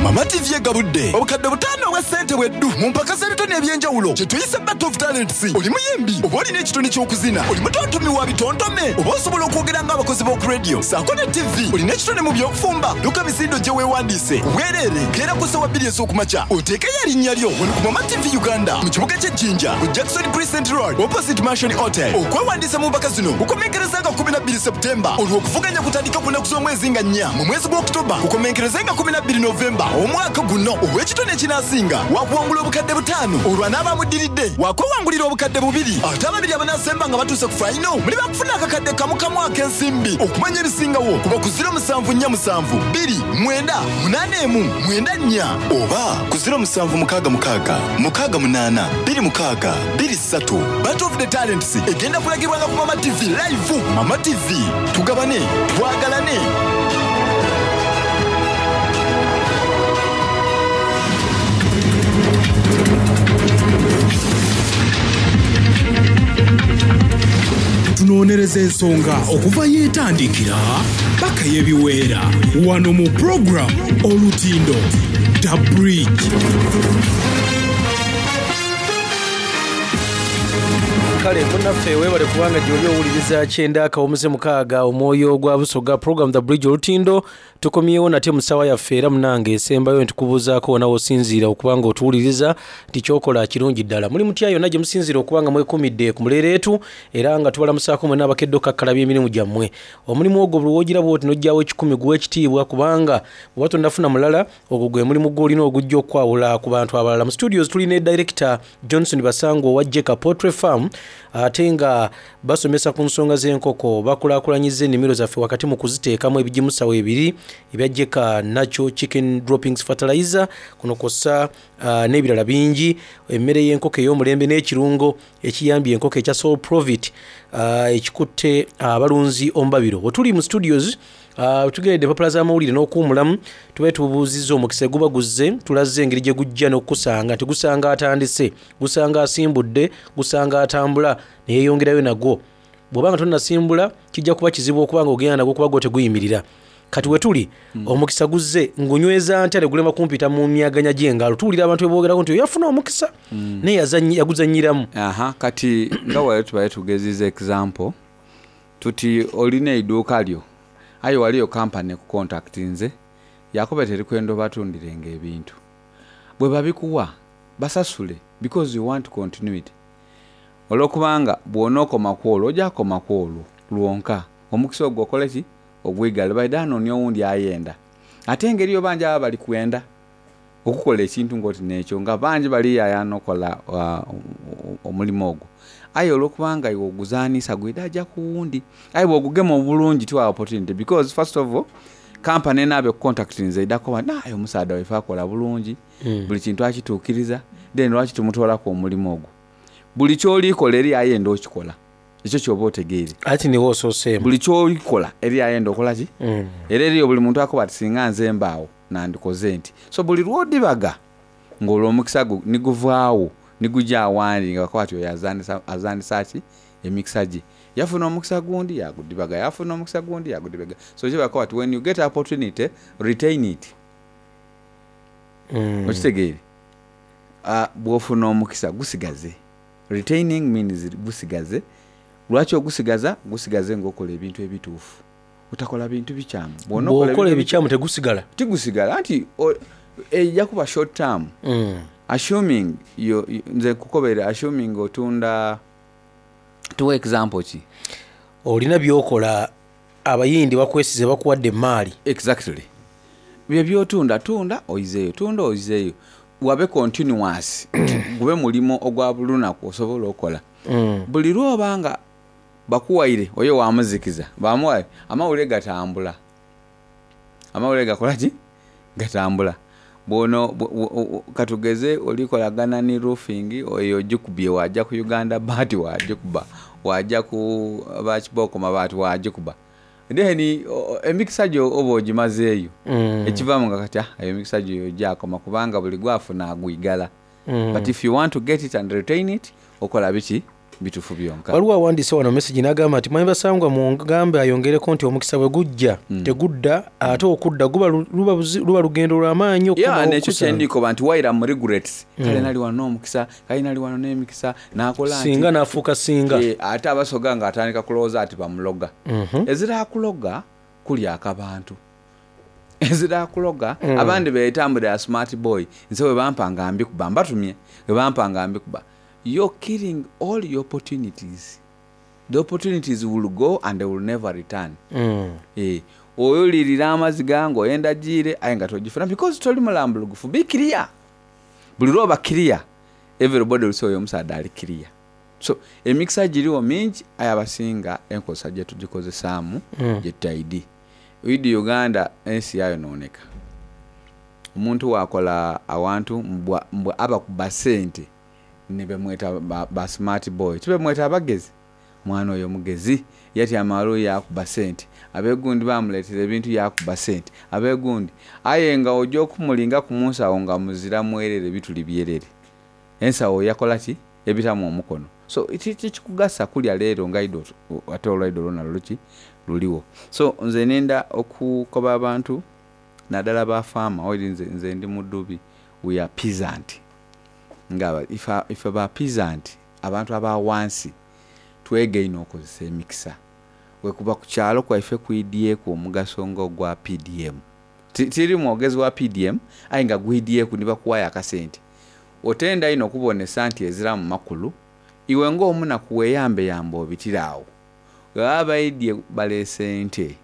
Mama TV egabudde obukadde butaano obwa ssente bweddu mu mpaka z'ebitone eby'enjawulo kye tuyise Battle of Talents. Oli muyimbi oba olina ekitone ky'okuzina, oli mutontomi wa bitontome oba osobola okwogera ng'abakozi b'oku radio ssaako ne TV, olina ekitone mu by'okufumba, dduka misinde ojje weewandiise ku bwereere. Keera ku ssaawa bbiri ez'okumakya oteekeyo erinnya lyo wano ku Mama TV Uganda mu kibuga ky'e Jinja ku Jackson Crescent Road opposite Mansion Hotel. Okwewandiisa mu mpaka zino kukomekkereza nga 12 September olwo okuvuganya kutandike ku nnaku z'omwezi nga nnya mu mwezi gwa October kukomenkereze nga 12 November. Omwaka guno ow'ekitone ekinaasinga waakuwangula obukadde butaanu, olwo anaaba amuddiridde waakwewangulira obukadde bubiri, ate ababiri abanaasemba nga batuuse ku fayino muli baakufuna akakadde kamu kamu ak'ensimbi. Okumanya ebisingawo kuba ku ziro musanvu nnya musanvu bbiri mwenda munaana emu mwenda nnya oba ku ziro musanvu mukaaga mukaaga mukaaga munaana bbiri mukaaga bbiri ssatu. Battle of the Talents egenda kulagibwanga ku Mama TV live. Mama TV, tugabane, twagalane. Tunoonyereza ensonga okuva yeetandikira paka yebiweera wano mu program Olutindo The Bridge. Kale munnaffe weebale kubanga gy'oli owuliriza kyenda akawumuze mukaaga omwoyo gwa Busoga program The Bridge Olutindo. Tukomyewo nate mu ssaawa yaffe era munange esembayo ntikubuuzaako wona w'osinziira okuba nga otuwuliriza nti kyokola kirungi ddala. Muli mutya yonna gye musinziira okuba nga mwekuumidde ku muleereetu era nga tubalamusaako mwenna abakedde okukakkalabya emirimu gyammwe. Omulimu ogwo buli w'ogira bw'oti n'oggyawo ekikumi guwa ekitiibwa kubanga bw'oba tonnafuna mulala ogwo gwe mulimu gw'olina ogujja okukwawula ku bantu abalala. Mu studios tuli ne director Johnson Basangwa owa Jeka Poultry Farm ate nga basomesa ku nsonga z'enkoko, bakulaakulanyizza ennimiro zaffe wakati mu kuziteekamu ebigimusa weebiri ebya Jeka Natural Chicken Droppings Fertilizer, kuno kw'ossa n'ebirala bingi, emmere y'enkoko ey'omulembe n'ekirungo ekiyambye enkoko ekya Soul Provit ekikutte abalunzi omubabiro. Wetuli mu studios tugeredde empapula z'amawulire n'okuwumulamu, tube tubuuzizza omukisa guba guzze, tulaze engeri gye gujja n'okukusanga nti gusanga atandise, gusanga asimbudde, gusanga atambula ne yeeyongerayo nagwo. Bw'oba nga tonnasimbula kijja kuba kizibu okuba nga ogenda nagwo kuba gwo teguyimirira. Kati we tuli omukisa guzze ngunyweza ntya ne gulema kumpita mu myaganya gy'engalo. Tuwulira abantu bwe boogerako nti oyo yafuna omukisa naye yaguzannyiramu. Aha, kati nga wali tubaye tugeziza example tuti olina eiduuka lyo aye waliyo kampani ekukontaktinze yakuba terikwenda obatundirenga ebintu, bwe babikuwa basasule because you want continuity. Olwokubanga bw'onookoma ku olwo ojja kukoma ku olwo lwonka, omukisa ogwo okole ki ogwigale baida anoonia owundi ayenda. Ate engeri yo bangi aba bali kwenda okukola ekintu ng'oti n'ekyo nga bangi baliyayaana okola omulimu ogwo, aye olwokubanga iwe oguzaanisa gwida aja ku wundi. Aye bw'ogugema obulungi tiwa opportunity because first of all kampani enaaba ekukontaktinze eidha kukoba nti aye omusaadha waife akola bulungi, buli kintu akituukiriza, then lwaki tumutoolaku omulimu ogwo. Buli ky'olikola eri ayenda okikola, ekyo ky'oba otegeire. Ati niwe osooseemu. Buli ky'olikola eri ayenda okola ki? Era eriyo buli muntu akoba ati singa nze mbaawo nandikoze nti. So buli lw'odibaga ng'olwo omukisa gwo niguvaawo niguja awandi nga bakoba ati oyo azaanisa ki emikisa gye. Yafuna omukisa gundi yagudibaga, yafuna omukisa gundi yagudibaga. So kye bakoba ati when you get opportunity retain it. Okitegeire? Bw'ofuna omukisa gusigaze. Retaining means gusigaze. Lwaki ogusigaza? Gusigaze ng'okola ebintu ebituufu. Otakola bintu bikyamu. Bw'okola ebikyamu tegusigala. Tigusigala anti ejja kuba short term. Assuming yo, nze nkukobere assuming otunda, tuwe example ki? Olina by'okola abayindi bakwesize bakuwadde emaali. Exactly. Bye by'otunda, tunda oyizeeyo, tunda oyizeeyo. Wabe continuous, gube mulimo ogwa buli lunaku osobola okola. Buli lw'oba nga bakuwaire oyo wamuzikiza, bamuwaire, amawulire gatambula. Amawulire gakola ki? Gatambula. Bw'ono katugeze olikolagana ni roofing oyo ogikubye waja ku Uganda baati wagikuba, waja ku bakibooko mabaati wagikuba. Then emikisa gyo oba ogimazeeyo. Ekivaamu nga kati emikisa gyo gyakoma kubanga buli gwafuna agwigala. But if you want to get it and retain it, okola biki? Bituufu byonka. Waliwo awandiise wano message n'agamba nti mwami Basangwa mungambe ayongereko nti omukisa bwe gujja tegudda, ate okudda guba luba lugendo lw'amaanyi okukomawo Yeah, nekyo okusanga. kyendikoba nti waira mu regrets. Kale nali wano n'omukisa, kale nali wano n'emikisa, n'akola nti Singa n'afuuka singa. Ate abasoga ng'atandika kulowooza ati bamuloga. Ezira akuloga kulya akabantu. Ezira akuloga, abandi beetambulira smart boy. Nze bwe bampa nga mbikuba, mbatumye, bwe bampa nga mbikuba. You're killing all your opportunities. The opportunities will go and they will never return. Oyulirira amaziga ng'oyenda giire aye nga togifuna because toli mulambulugufu. Be clear. Buli lw'oba clear, everybody will say oyo omusaadha ali clear. So emikisa girigho mingi aye abasinga enkozesa gyetugikozesaamu gyetutaidhi. Oidhi Uganda ensi yayonooneka. Omuntu bwakola awantu mbu abakuba sente ni bemweta ba smart boy, tibemweta abagezi? Omwana oyo mugezi, yatyama ghale yaakuba sente, ab'egundi baamuleetera ebintu yaakuba sente, ab'egundi. Aye nga oja okumulingaku mu nsawo nga muzira mwerere bituli byerere. Ensawo yakola ki? Ebitamu omukono. So tikikugasa kulya leero nga idho ate olwaidho lwona luli ki? Luligho. So nze nenda okukoba abantu nadala ba farmer, oidhi nze ndi mudhubi, we are peasant. Nga ife ba peasant, abantu aba ghansi, twegaine okozesa emikisa. Bwekuba ku kyalo kwaife kwidhieku omugaso nga ogwa PDM. Tiri mwogezi wa PDM aye nga gwidhieku ni bakuwaayo akasente. Otenda inho okubonesa nti eziramu makulu, iwe ng'omunaku weeyambeyambe obitire agho. Bwebaba baidhie baleese ente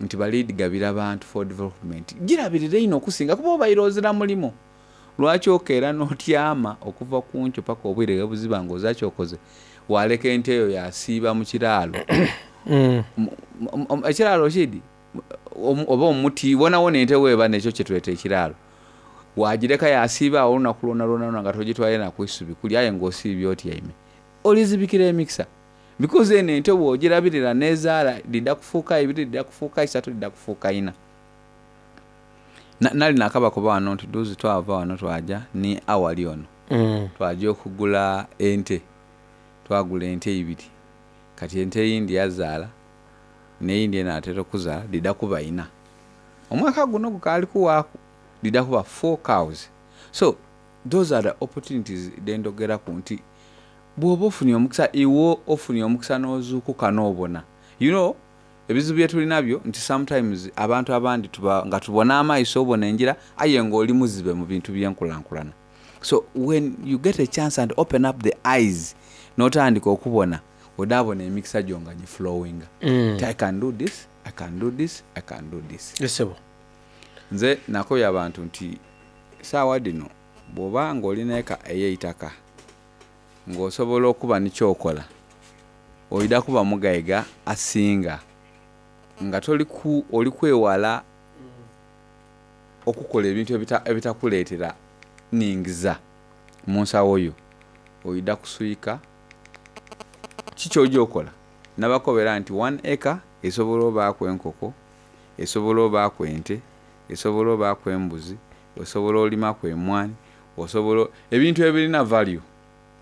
nti bali dhigabira bantu for development, girabirire inho okusinga kuba obaire ozira mulimo. Lwaki okeera n'otyama okuva ku nkyo paka obwire ghe buziba nga ozira ky'okoze, waaleka ente eyo yaasiiba mu kiraalo? Ekiraalo okiidhi? Oba omuti, wonawona ente w'eba n'ekyo kye tweta ekiraalo. Waagireka yaasiiba agho olunaku lwonalwona nga togitwaire na ku isubi kulya aye ng'osiibye otyaime. Olizibikira emikisa because eno ente bw'ogirabirira n'ezaala dhidha kufuuka ibiri, dhidha kufuuka isatu, dhidha kufuuka ina. Nali naakabakoba ghano nti dhuuzi twava ghano twaja ni Awali ono, twaja okugula ente. Twagula ente ibiri. Kati ente eyindi yazaala n'eyindi enaatera okuzaala dhidha kuba ina. Omwaka guno gukaali kuwaaku dhidha kuba four cows. So those are the opportunities dhe ndhogeraku nti bw'oba ofunye omukisa iwe ofunye omukisa n'ozuukuka n'obona. You know ebizibu bye tuli nabyo nti sometimes abantu abandi tuba nga tubona amaiso obona engira aye nga oli muzibe mu bintu by'enkulankulana. So when you get a chance and open up the eyes n'otandika okubona odhaabona emikisa gyo nga giflowinga nti I can do this, I can do this, I can do this. Yes ssebo. Nze nakobye abantu nti saawa dhino bw'oba ng'oli n'eka ey'eitaka ng'osobola okuba ni ky'okola, oidha kuba mugaiga asinga nga toli ku, oli kwewala okukola ebintu ebitakuleetera ningiza mu nsawo yo. Oidha kuswika, ki ky'oja okola? Nabakobera nti one acre esobola obaaku enkoko, esobola obaaku ente, esobola obaaku embuzi, osobola olimaku emwani, osobola ebintu ebirina value.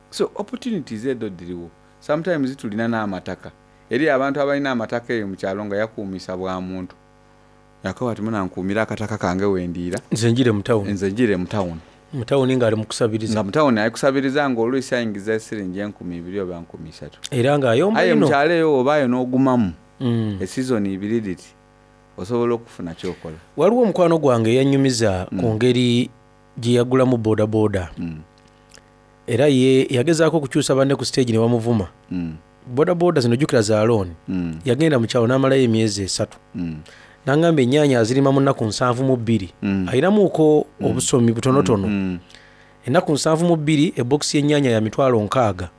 So opportunities edho dhirigho. Sometimes tulina n'amataka. Eriyo abantu abalina amataka eyo mu kyalo nga yakuumisa bwa muntu. Yakoba ati muna nkuumira akataka kange wendiira. Nze njire mu tawuni. Nze njire mu tawuni. Mu tawuni ng'ali mu kusabiriza. Nga mu tawuni ali kusabiriza ng'oluisi aingiza esiringi enkumi ibiri oba nkumi isatu. Era ng'ayomba Aye inho. mu kyalo eyo bw'obaayo n'ogumamu esizoni ibiri dhiti, osobola okufuna ky'okola. Waliwo mukwano gwange eyannyumiza ku ngeri gye yagulamu bodaboda. Era ye yagezaaku okukyusa banne ku siteegi ne bamuvuma. Bodaboda zino jjukira za looni. Yagenda mu kyalo n'amalayo emyezi esatu. N'angamba ennyaanya azirima mu nnaku 72. Alinamuuko obusomi butonotono. Ennaku 72 ebokisi y'ennyaanya ya mitwalo nkaaga.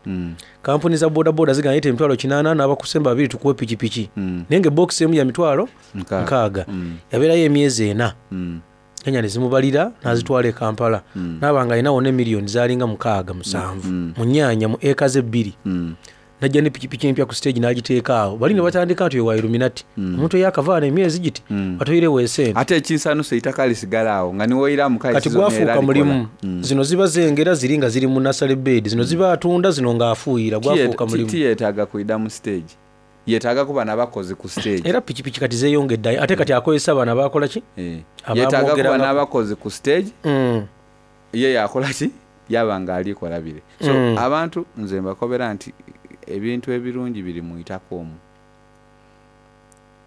Kampuni za bodaboda zigamba leeta emitwalo kinaana n'abakusemba babiri tukuwe pikipiki. Naye nga ebokisi emu ya mitwalo nkaaga. Yabeerayo emyezi ena. Ennyaanya ne zimubalira n'azitwala e Kampala. N'aba ng'alina wonna emiliyoni zaalinga mukaaga musanvu mu nnyaanya mu eka ze bbiri. N'ajja ne pikipiki empya ku siteegi n'agiteeka agho. Bali ne batandika nti oyo wa Illuminati. Omuntu eyaakava ghano emyezi giti batoiregho esente. Ate ekinsanhusa eitaka lisigala agho nga ni woiramu kale Kati sizoni era gwafuuka likola. mulimu. Zino ziba zengera ziri nga ziri mu nasale bed. Zino ziba atunda zino ng'afuuyira. Gwafuuka mulimu. Tiyetaaga kwidha mu siteegi. Yetaaga kuba na bakozi ku siteegi. Era pikipiki kati zeeyongedde ate kati akozesa bano abaakola ki? Yetaaga kuba n'abakozi ku siteegi. Ye yaakola ki? Yaaba nga ali kola bire. So abantu nze mbakobera nti ebintu ebirungi biri mu itaka omwo.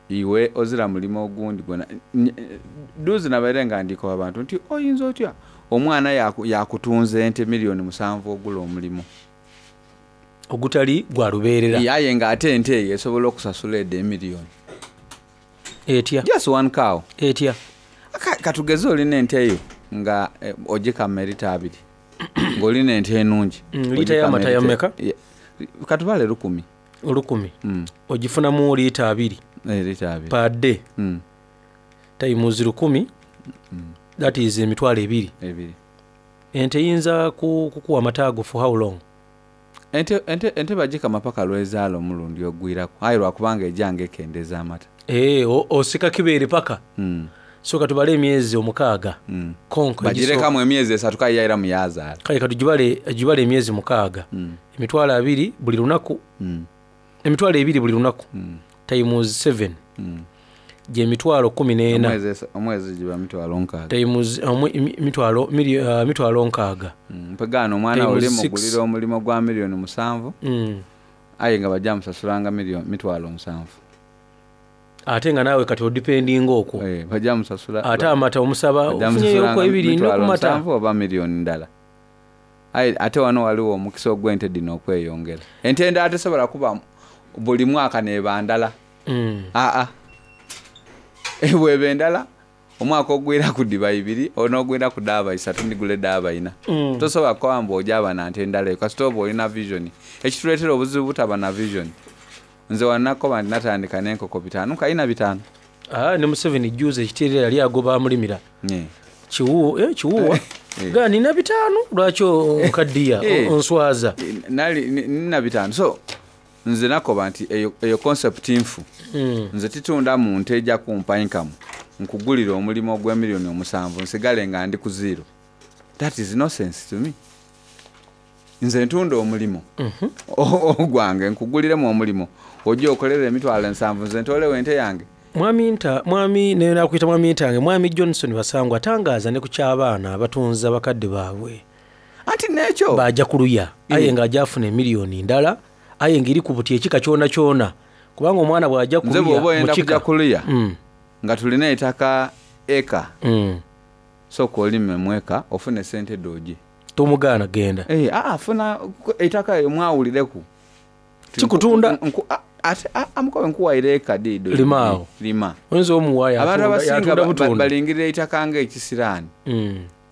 Iwe ozira mulimo ogundi gwona. Dhuuzi nabaire nga ndi koba bantu nti oyinza otya omwana yaakutunza ente milioni musanvu ogula omulimo? Ogutali gwa lubeerera. Aye nga ate ente eyo esobola okusasula edho emilioni. Etya? Just one cow. Etya? Katugeze olina ente yo nga eh, ogikama erita abiri ng'olina ente enungi. Liita y'amata ya meka? Katubale 1000. 1000. Ogifunamu liita 20. Eh, liita 20. Per day. Times 1000. That is 20,000. Ebiri. Ente eyinza kukuwa amata ago for how long? Ente bagikama paka lwezaala omulundi ogwiraku, aye lwakubanga ejanga ekendeza amata. Eh, osika kibeere paka. So katubale emyezi 6. Konko Bagirekamu emyezi 3 kale yairamu yazaala. Kale katugibale gibale emyezi 6. 20,000 buli lunaku. 20,000 buli lunaku. Times 7. Gye 14,000. Omwezi giba 60,000. Times 60,000. Mpegaano omwana Times oli six. mugulira omulimu gwa 7,000,000. Aye nga bajja musasulanga 70,000. Ate nga naawe kati odipendinga okwo. Eh, bajja musasula. Ate amata omusaba Bajja ofunyeyo musasulanga okwo ebiri mitwalo n'okumata. nsanvu oba miliyoni ndala. Aye ate wano waliwo omukisa ogw'ente dino okweyongera. Ente endala tesobola kuba buli mwaka neba ndala. Aa. Bweba endala omwaka ogwira ku diba ibiri onogwira ku daaba 3 ndigula edaaba 4. Tosobola kuba mbu ojaba na nte endala eyo kasita oba olina vision. Ekituleetera obuzibu butaba na vision. Nze wanakoba nti natandika n'enkoko 5 kalina 5. Ne Museveni juzi ekiteerera yali agoba amulimira. Kiwuwa. Ga nina 5 lwaki onkaddiya onswaza? Nali nina 5. So nze nakoba nti eyo concept nfu. Nze titunda mu nte ejja kumpa income. Nkugulira omulimu ogwa 7,000,000 nsigale nga ndi ku zero. That is no sense to me. Nze ntunda omulimu. Ogwange nkuguliremu omulimu. Ojja okolera 70,000 nze ntolewo ente yange. Mwami nta, mwami ne nakuyita mwami ntange, mwami Johnson Basangwa atangaaza ne ku ky'abaana abatunza bakadde baabwe. Anti n'ekyo. Bajja kuluya. Aye nga ajja afuna emiliyoni ndala, aye ng'eri ku buti ekika kyona kyona. Kubanga omwana bw'ajja Nze kuluya bw'oba oyenda mu kika. kujja kuluya, nga tulina ettaka eka. Sooka olime mu eka ofune ssente doogi. Tomugaana genda. Funa ettaka eyo mwawulireku. Kikutunda. Ate, amukobe nkuwaire eka diido. Lima awo. Lima. Oyinza omuwa Abantu abasinga yatunda butunda. balingirira ettaka ng'ekisiraani.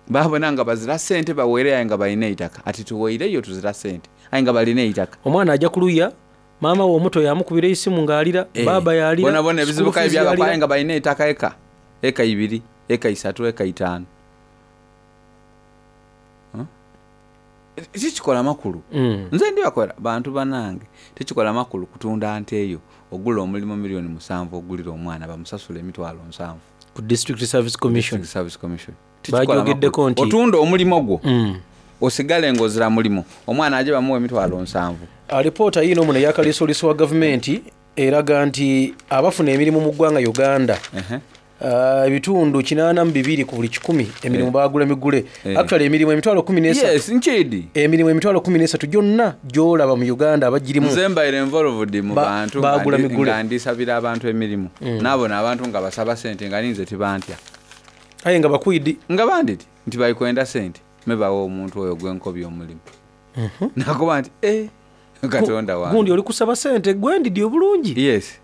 Babona nga bazira ssente baweereyo aye nga balina eitaka. Ati tuweereyo tuzira ssente aye nga balina eitaka. Omwana ajja kuluya, maama we omuto yamukubira esimu ng'alira, baaba yalira, Bona bona ebizibu school kayi fees byabakwa aye yalira. nga balina eitaka eka. Eka 2, eka 3, eka 5. Kikikola makulu. Nze ndi bakola bantu banange. Tekikola makulu kutunda nte eyo ogula omulimu 7,000,000 ogulira omwana bamusasula 70,000. Ku District Service Commission. District Service Commission. Tekikola Bajogeddeko makulu. nti otunda omulimu gwo. Osigale ng'ozira mulimu. Omwana aje bamuwe 70,000. Alipoota yiino muno ey'akaliisoliiso wa gavumenti eraga nti abafuna emirimu mu ggwanga Uganda. Ebitundu 82 ku buli 100 emirimu baagula migule. Actually emirimu 13,000. Yes, nchidi. Emirimu 13,000 gyonna gy'olaba mu Uganda abagirimu. Nze mbaire involved mu bantu baagula migule. nga ndisabira abantu emirimu. Naabona abantu nga basaba ssente nga ninze tibantya. Aye nga bakwidi. Nga banditi nti balikwenda ssente mebawa omuntu oyo gwenkobya omulimu. Nakuba nti Katonda wange. Gundi oli kusaba ssente gwe ndidi obulungi. Yes.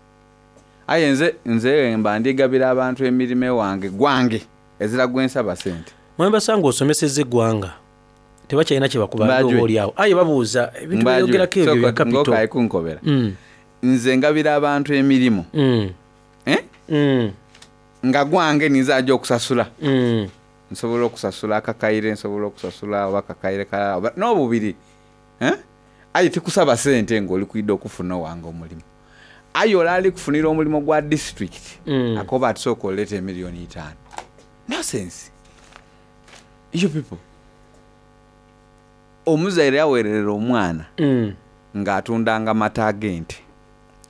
Aye nze mba ndigabira abantu emirimu ewange gwange ezira gwe nsaba ssente. Mwami Basangwa osomesezza eggwanga tebakyalina kye bakuba Mbajwe. oba oli awo. Aye babuuza ebintu Mbajwe. byogerako ebyo Sooka bya capital. ng'okayi kunkobera. Nze ngabira abantu emirimu. Nga gwange ninze ajja okusasula. Nsobola okusasula akakaire, nsobola okusasula oba akakaire kalala oba n'obubiri. Aye tikusaba ssente ng'oli kwidda okufuna owange omulimu. Aye ole ali kufunira omulimu gwa district akoba ati sooka oleeta 5,000,000. Nonsense. You people. Omuzaire yaweererera omwana ng'atundanga mata ag'ente.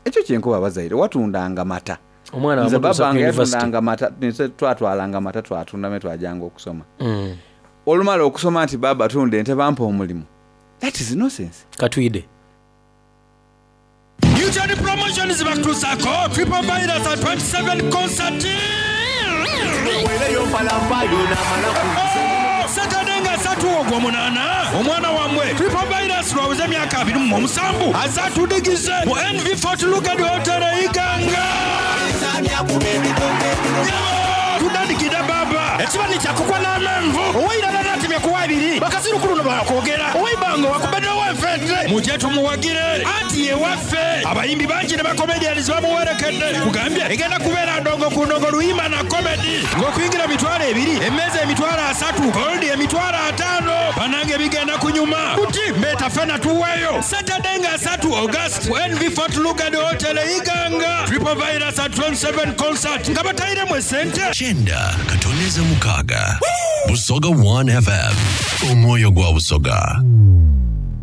Ekyo kyenkuba abazaire watundanga mata. Omwana Nze wamutuusa ku babange university. yatundanga mata, nze twatwalanga mata twatunda me twajanga okusoma. Olumala okusoma nti baba tunda ente bampa omulimu. That is nonsense. Katwide. Newton Promotions bakutuusaako Triple Virus at 27 concert. Saturday nga asatu Ogwomunaana, omwana wammwe Triple Virus lwaweza emyaka 27 aze atudigize mu NV Fort Lugard Hotel e Iganga. Tudandikidde baaba. Ekiba ni kyakukwa n'amenvu. Oweirala n'atemya ku wabiri. Bakasiru ku luno baakwogera. Oweibanga wakubedde ow'enfente. Mujje tumuwagire anti ye waffe. Abayimbi bangi ne ba comedians bamuwerekedde. Kugambye egenda kubeera ndongo ku ndongo luyimba na comedy. Ng'okuyingira 20,000, emmeeza 30,000, gold 50,000. Bannange bigenda kunyuma. Buti mbeeta ffena tuweeyo. Saturday nga 3 August ku NV Fort Lugard Hotel e Iganga. Triple Virus at 27 concert nga batayiremu esente. 9.6 Busoga 1 FM omwoyo gwa Busoga.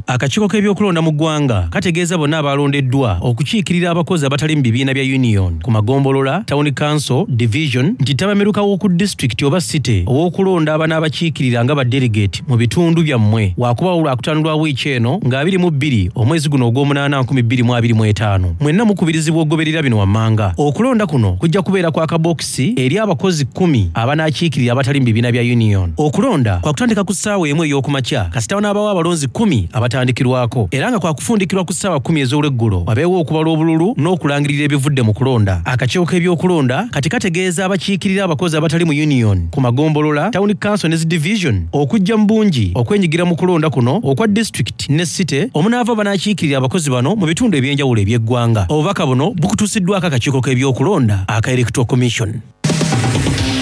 Akakiiko k'ebyokulonda mu ggwanga kategeeza bonna abalondeddwa okukiikirira abakozi abatali mu bibiina bya union ku magombolola, town council, division nti ttabamiruka w'oku disitulikiti oba city ow'okulonda abanaabakiikirira nga ba delegate mu bitundu byammwe waakubawo Lwakutaano lwa wiiki eno nga 22 omwezi guno ogw'omunaana 2025. Mwenna mukubirizibwa okugoberera bino wammanga. Okulonda kuno kujja kubeera kwa kabokisi eri abakozi kkumi abanaakiikirira abatali mu bibiina bya union. Okulonda kwakutandika ku ssaawa emu ey'okumakya kasita wanaabawo abalonzi kkumi abatandikirwako era nga kwakufundikirwa ku ssaawa kkumi ez'olweggulo wabeewo okubala obululu n'okulangirira ebivudde mu kulonda. Akakiiko k'ebyokulonda kati kategeeza abakiikirira abakozi abatali mu union ku magombolola, town council ne zi division okujja mu bungi okwenyigira mu kulonda kuno okwa disitulikiti ne city omunaava banaakiikirira abakozi bano mu bitundu eby'enjawulo eby'eggwanga. Obubaka buno bukutuusiddwako akakiiko k'ebyokulonda aka Electoral Commission.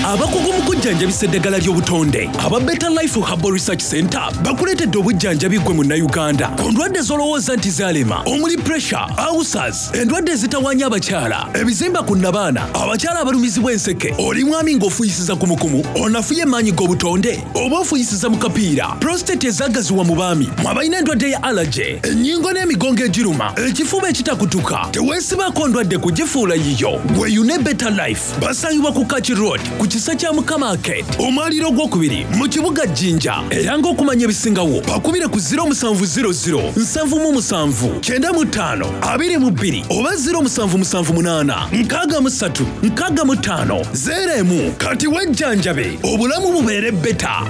Abakugu mu kujjanjabisa eddagala ly'obutonde aba Better Life Herbal Research Center bakuleetedde obujjanjabi ggwe Munnayuganda ku ndwadde z'olowooza nti zaalema omuli pressure, ulcers, endwadde ezitawaanya abakyala, ebizimba ku nnabaana, abakyala abalumizibwa enseke, oli mwami ng'ofuuyisiza kumukumu, onafuye emaanyi g'obutonde oba ofuuyisiza mu kapiira, prostate ezaagaziwa mu baami, mwe abalina endwadde ya allergy, ennyingo n'emigongo egiruma, ekifuba ekitakutuka, teweesibaako ndwadde kugifuula yiyo. Weeyune Better Life. Basangibwa ku Kaki Road ku kisa kya Mukama Arcade, omwaliiro ogwokubiri mu kibuga Jinja. Era ng'okumanya ebisingawo bakubire ku 0700 77 95 22 oba 0778 63 65 01. Kati wejjanjabe obulamu bubeere better.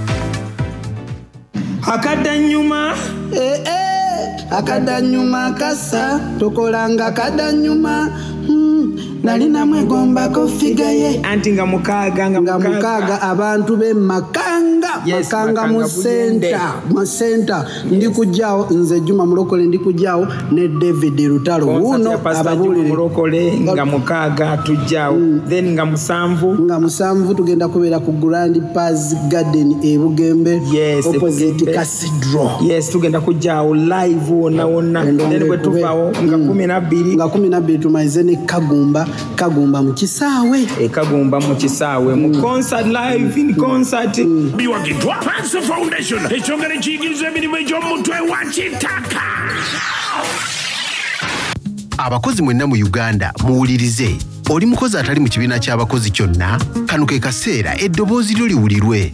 Akadanyuma. Eh, eh, akadanyuma kasa tokolanga kadanyuma. Nali namwegombako figa ye anti nga mukaaga nga mukaaga abantu be Makanga. Yes, Makanga mu Makanga Buyende. center, mu center. Ndi kujjaawo nze Juma Mulokole, ndi kujjaawo ne David Lutalo Concert wuuno ya Pastor Juma ababuulire. Mulokole nga mukaaga tujjaawo, then nga musanvu, nga musanvu tugenda kubeera ku Grand Paz Garden e Bugembe. Yes, opposite Bugembe. Cathedral. Yes, tugenda kujjaawo live wonna wonna, then bwe tuvaawo nga 12, nga 12 tumalize ne Kagumba, Kagumba mu kisaawe. E Kagumba mu kisaawe mu concert, live in concert. Biwagiddwa Panso Foundation, ekyongera ekiyigiriza emirimu egy'omutwe wa kitaka. Abakozi mwenna mu Uganda muwulirize. Oli mukozi atali mu kibiina ky'abakozi kyonna, kano ke kaseera eddoboozi lyo liwulirwe.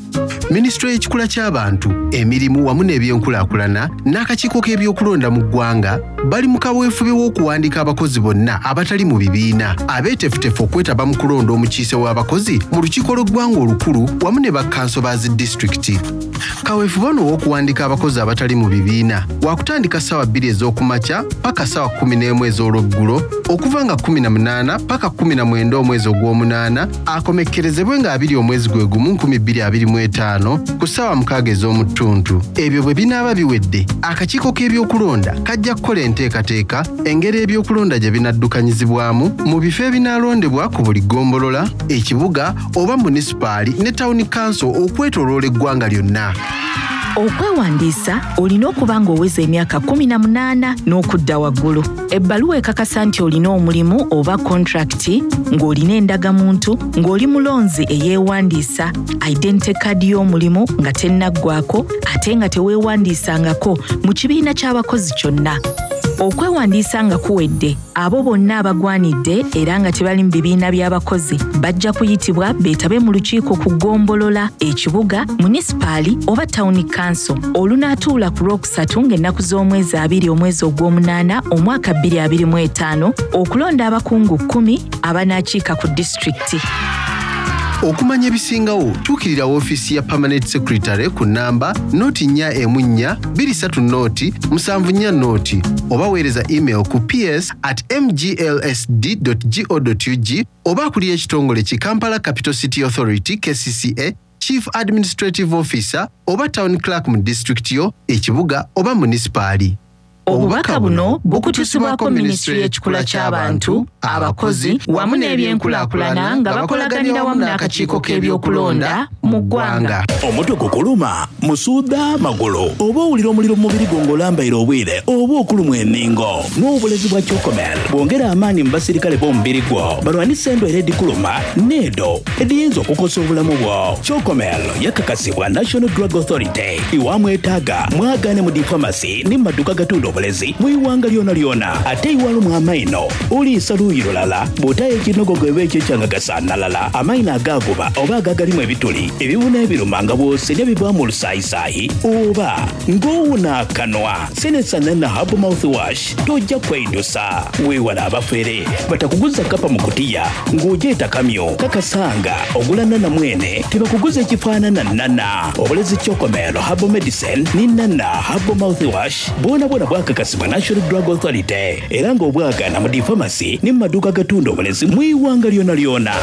Minisitule y'ekikula ky'abantu, emirimu wamu n'ebyenkulaakulana n'akakiiko k'ebyokulonda mu ggwanga bali mu kaweefube w'okuwandiika abakozi bonna abatali mu bibiina abeeteefuteefu okwetaba mu kulonda omukiise w'abakozi mu lukiiko lw'eggwanga olukulu wamu ne bakkanso ba zi disitulikiti. Kaweefube ono ow'okuwandiika abakozi abatali mu bibiina wakutandika ssaawa 2 ez'okumakya paka ssaawa 11 ez'olweggulo okuva nga 18 paka 19 omwezi ogw'omunaana akomekkerezebwe nga 20 omwezi gwe gumu 2025 ku ssaawa 6 ez'omuttuntu. Ebyo bwe binaaba biwedde, akakiiko k'ebyokulonda kajja kukola enteekateeka engeri ebyokulonda gye binaddukanyizibwamu mu bifo ebinaalondebwa ku buli ggombolola, ekibuga oba munisipaali ne tawuni kanso okwetooloola eggwanga lyonna. Okwewandiisa olina okuba ng'oweza emyaka 18 n'okudda waggulu. Ebbaluwa ekakasa nti olina omulimu oba kontrakiti, ng'olina endagamuntu, ng'oli mulonzi eyeewandiisa, identity card y'omulimu nga tennaggwako ate nga teweewandiisangako mu kibiina ky'abakozi kyonna. Okwewandiisa nga kuwedde, abo bonna abagwanidde era nga tebali mu bibiina by'abakozi bajja kuyitibwa beetabe mu lukiiko ku ggombolola, ekibuga, munisipaali oba tawuni kanso olunaatuula ku Lwokusatu ng'ennaku z'omwezi 20 omwezi ogw'omunaana omwaka 2025 okulonda abakungu 10 abanaakiika ku disitulikiti. Okumanya ebisingawo tuukirira woofiisi ya Permanent Secretary ku nnamba noti nnya emu nnya bbiri ssatu noti musanvu nnya noti oba weereza email ku ps at mglsd go ug oba akulira ekitongole ki Kampala Capital City Authority, KCCA, Chief Administrative Officer oba Town Clerk mu disitulikiti yo, ekibuga oba munisipaali. Obubaka buno bukutusibwako Minisitule y'Ekikula ky'Abantu, Abakozi wamu n'Ebyenkulaakulana nga bakolaganira wamu n'akakiiko k'ebyokulonda mu ggwanga. Omutwe gukuluma, musuudha, magulu oba owulira omuliro mu mubiri gwo ng'olambaire obwire oba okulumwa enhingo? Nwa obulezi bwa Chocomel bwongera amaani mu basirikale b'omubiri gwo balwanise endwaire edhikuluma n'edho edhiyinza okukosa obulamu bwo. Chocomel yakakasibwa National Drug Authority. Iwamwetaaga mwagaane mu dhi famasi ni mu maduuka agatunda obulezi mu ighanga lyonalyona. Ate iwalumwa amaino, oliisa luuyi lulala, bw'otaayo ekinogogo eba ekyo ekyanga gasanhalala, amaino agaaguba oba agagalimu ebituli, ebibuna ebiruma nga bw'osenhya bivaamu olusaayisaayi oba ng'owuna akanwa. Senesa Nana Herbal Mouthwash tojja kweidusa. Weewale abafere batakuguza kapa mu kutiya ng'ogyeta kamyu. Kakasa nga ogula Nana mwene tibakuguza ekifaanana Nana. Obulezi Chocomel Herbal Medicine ni Nana Herbal Mouthwash bwonabwona bwakakasibwa National Drug Authority era nga obwagaana mu dhi famasi ni mu maduuka agatunda obulezi mu ighanga lyonalyona.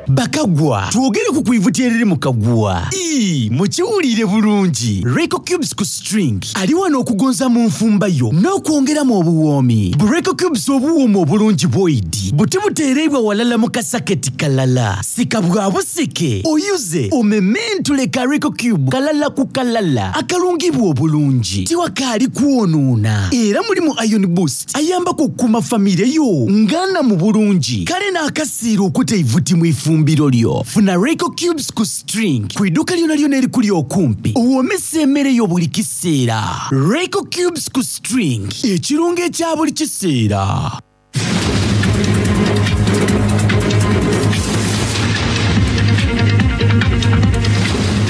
Bakagwa, twogere ku kwivuti eriri mu kaguwa. Ii, Mukiwuliire bulungi, Reiko Cubes ku String ali wano okugonza mu nfumba yo n'okwongeramu obuwoomi. Bu Reiko Cubes obuwooma obulungi bwoidi buti buteereibwa walala mu kasaketi kalala. Sika bwa busike, oyuze, omementule ka Reiko Cube kalala ku kalala akalungibwa obulungi. Tiwakaali kwonoona era mulimu Iron Boost ayambaku okukuuma famire yo nga nnamu bulungi. Kale n'akasiira okuta eivuti mu ifumbiro lyo. Funa Royco Cubes ku String ku iduuka lyonalyona erikuli okumpi owoomese emere yo buli kiseera. Royco Cubes ku String, ekirungo ekya buli kiseera.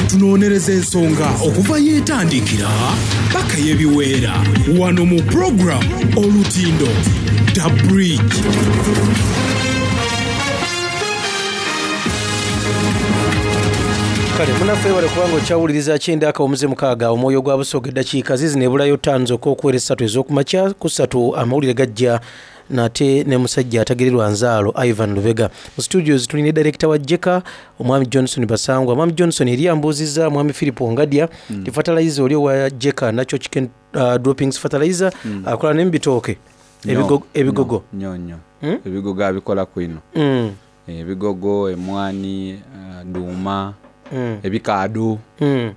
Tunonereza ensonga okuva yetandikira paka yebiweera wano mu program Olutindo The Bridge. Kale munaffe webale kubanga okyawuliriza kyenda akawumuze mukaaga omwoyo gwa Busoga eddakiika zizino ebulayo ttaano zokka okuwera essatu ez'okumakya ku ssatu amawulire gajja nate ne musajja atagererwa nzaalo Ivan Lubega. Mu studios tuli ne director wa Jeka omwami Johnson Basangwa. Mwami Johnson eri ambuuzizza mwami Philip Ongadya mm. ti fertilizer oli owa Jeka natural chicken uh, droppings fertilizer mm. akola ne mubitooke ebigogo ebigogo nyo nyo mm? ebigogo abikola kwino mm. ebigogo emwani uh, duuma mm. ebikaado mm.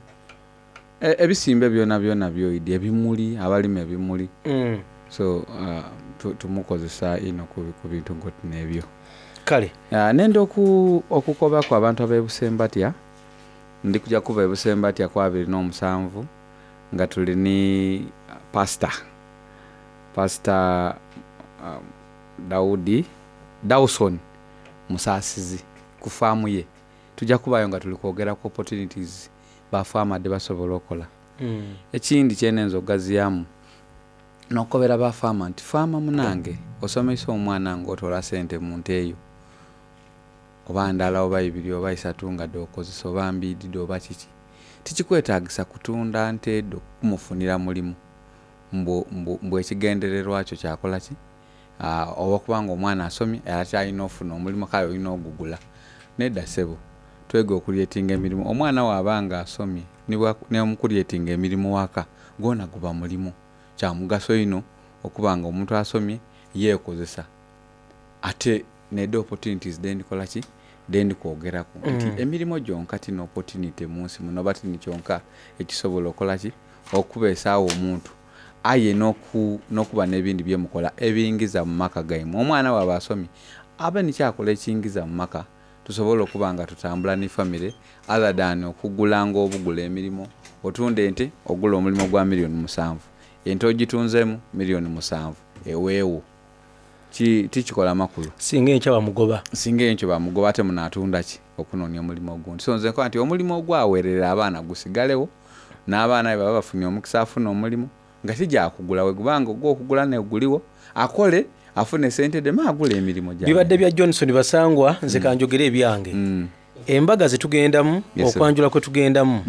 E, ebisimbe byona byona byoidi ebimuli abalima ebimuli mm. so uh, tumukozesa ino ku bintu ngoti nebyo kale uh, nenda oku, okukobaku abantu abebusembatya ndi kuja kuva ebusembatya ku 27 nga tuli ni pastor pastor um, Daudi Dawson Musasizi ku faamu ye Tuja kubayo nga tuli kwogera ku opportunities ba farmer dhebasobola okola. Ekindi kyenenza okugaziyamu nokukobera ba farmer nti farmer munange osomeisa omwana nga otola sente mu nte yo oba ndala oba ibiri oba isatu nga dhokozesa oba mbiidi dho oba kiki, tikikwetagisa kutunda nte dho kumufunira mulimu mbu mbu ekigendererwa kyo kyakola ki? Olwokuba nga omwana asomye ate alina ofuna omulimu kale olina ogugula. Nedda sebo, twege okulyetinga emirimu. Omwana bwaba nga asomye nomukulyetinga emirimu ghaka gwona guba mulimu. Kya mugaso inho okuba nga omuntu asomye yekozesa ate nedho opportunities dhendikola ki? Dhendi kwogeraku nti emirimo gyonka ti n'opportunity munsi muno oba ti ni kyonka ekisobola okola ki? Okubeesagho omuntu. Aye n'okuba n'ebindi bye mukola ebingiza mu maka gaimwe. Omwana bw'aba asomye, abe ni ky'akola ekingiza mu maka, tusobole okuba nga tutambula ni famire other than okugulanga obugule emirimo. Otunda ente, ogula omulimo gwa milioni musanvu. Ente ogitunzeemu milioni musanvu, eweewo. Ki, tikikola makulu. Singa enkya bamugoba. Singa enkyo bamugoba ate munaatunda ki okunoonia omulimo ogundi? So nze nkoba nti omulimo ogwaweerera abaana gusigalewo. N'abaana bwe baba bafunye omukisa afune omulimu nga ti gya kugula, bwe guba nga ogw'okugula n'oguligho, akole afune sente dhe me agule emirimo Bibadde gy'ayenda. bya Johnson Basangwa, nze kanjogere ebyange. Embaga zetugendamu, Yes, sir. okwanjula kwe tugendamu,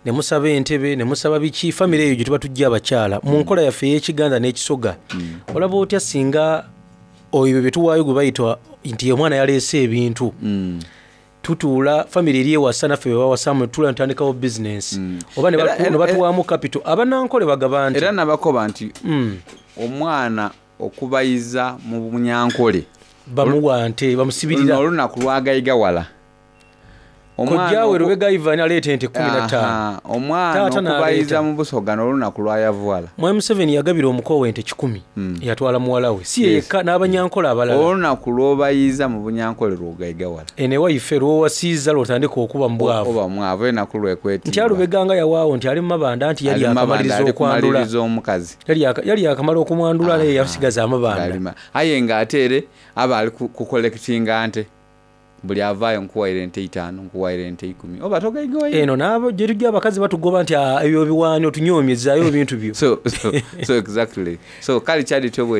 ne musaba entebe, ne musaba biki, famire eyo gye tuba tujja abakyala mu nkola yaffe ey'Ekiganda n'Ekisoga. Olaba otya singa oyo bye tuwaayo gwe bayita nti omwana yaleese ebintu, tutuula famire eri ewasa naffe bebawasamu, tutuula netutandikawo bizinensi oba ne ne batuwaamu capital. Abanankole bagaba nti Era nabakoba nti omwana okubayiza mu Bunyankole bamuwa nte, bamusibirira. Olunaku lwagayigawala. Kojjaawe Lubega Ivan aleeta ente 15. Aha, omwana Taata okubayiza n'aleeta. mu Busoga n'olunaku lwayavuwala. Mwami Museveni yagabira omuko we ente 100, yatwala muwala we, si ye yekka, n'abanyankole abalala. Olunaku lw'obayiza mu Bunyankole lwogayigawala. Eno ewaife lwowasiiza lwotandika okuba mu bwavu. Oba mwavu, enaku lwekwetimba. Nti alubega nga yawaawo nti ali mu mabanda, nti yali Ali mu mabanda, akamaliriza ali okwandula. kumaliriza omukazi. Yali yakamala okumwandula, naye yasigaza amabanda. Alima. Aye ng'ate ere aba ali kukollectinga nte, buli avaayo nkuwaire ente 5, nkuwaire ente 10, oba togayigawaire. Eno naabo gye tujja abakazi batugoba nti, "Ah, ebyo biwaani otunyoomyezaayo ebintu byo." So exactly, so kale kyali tyo bwe.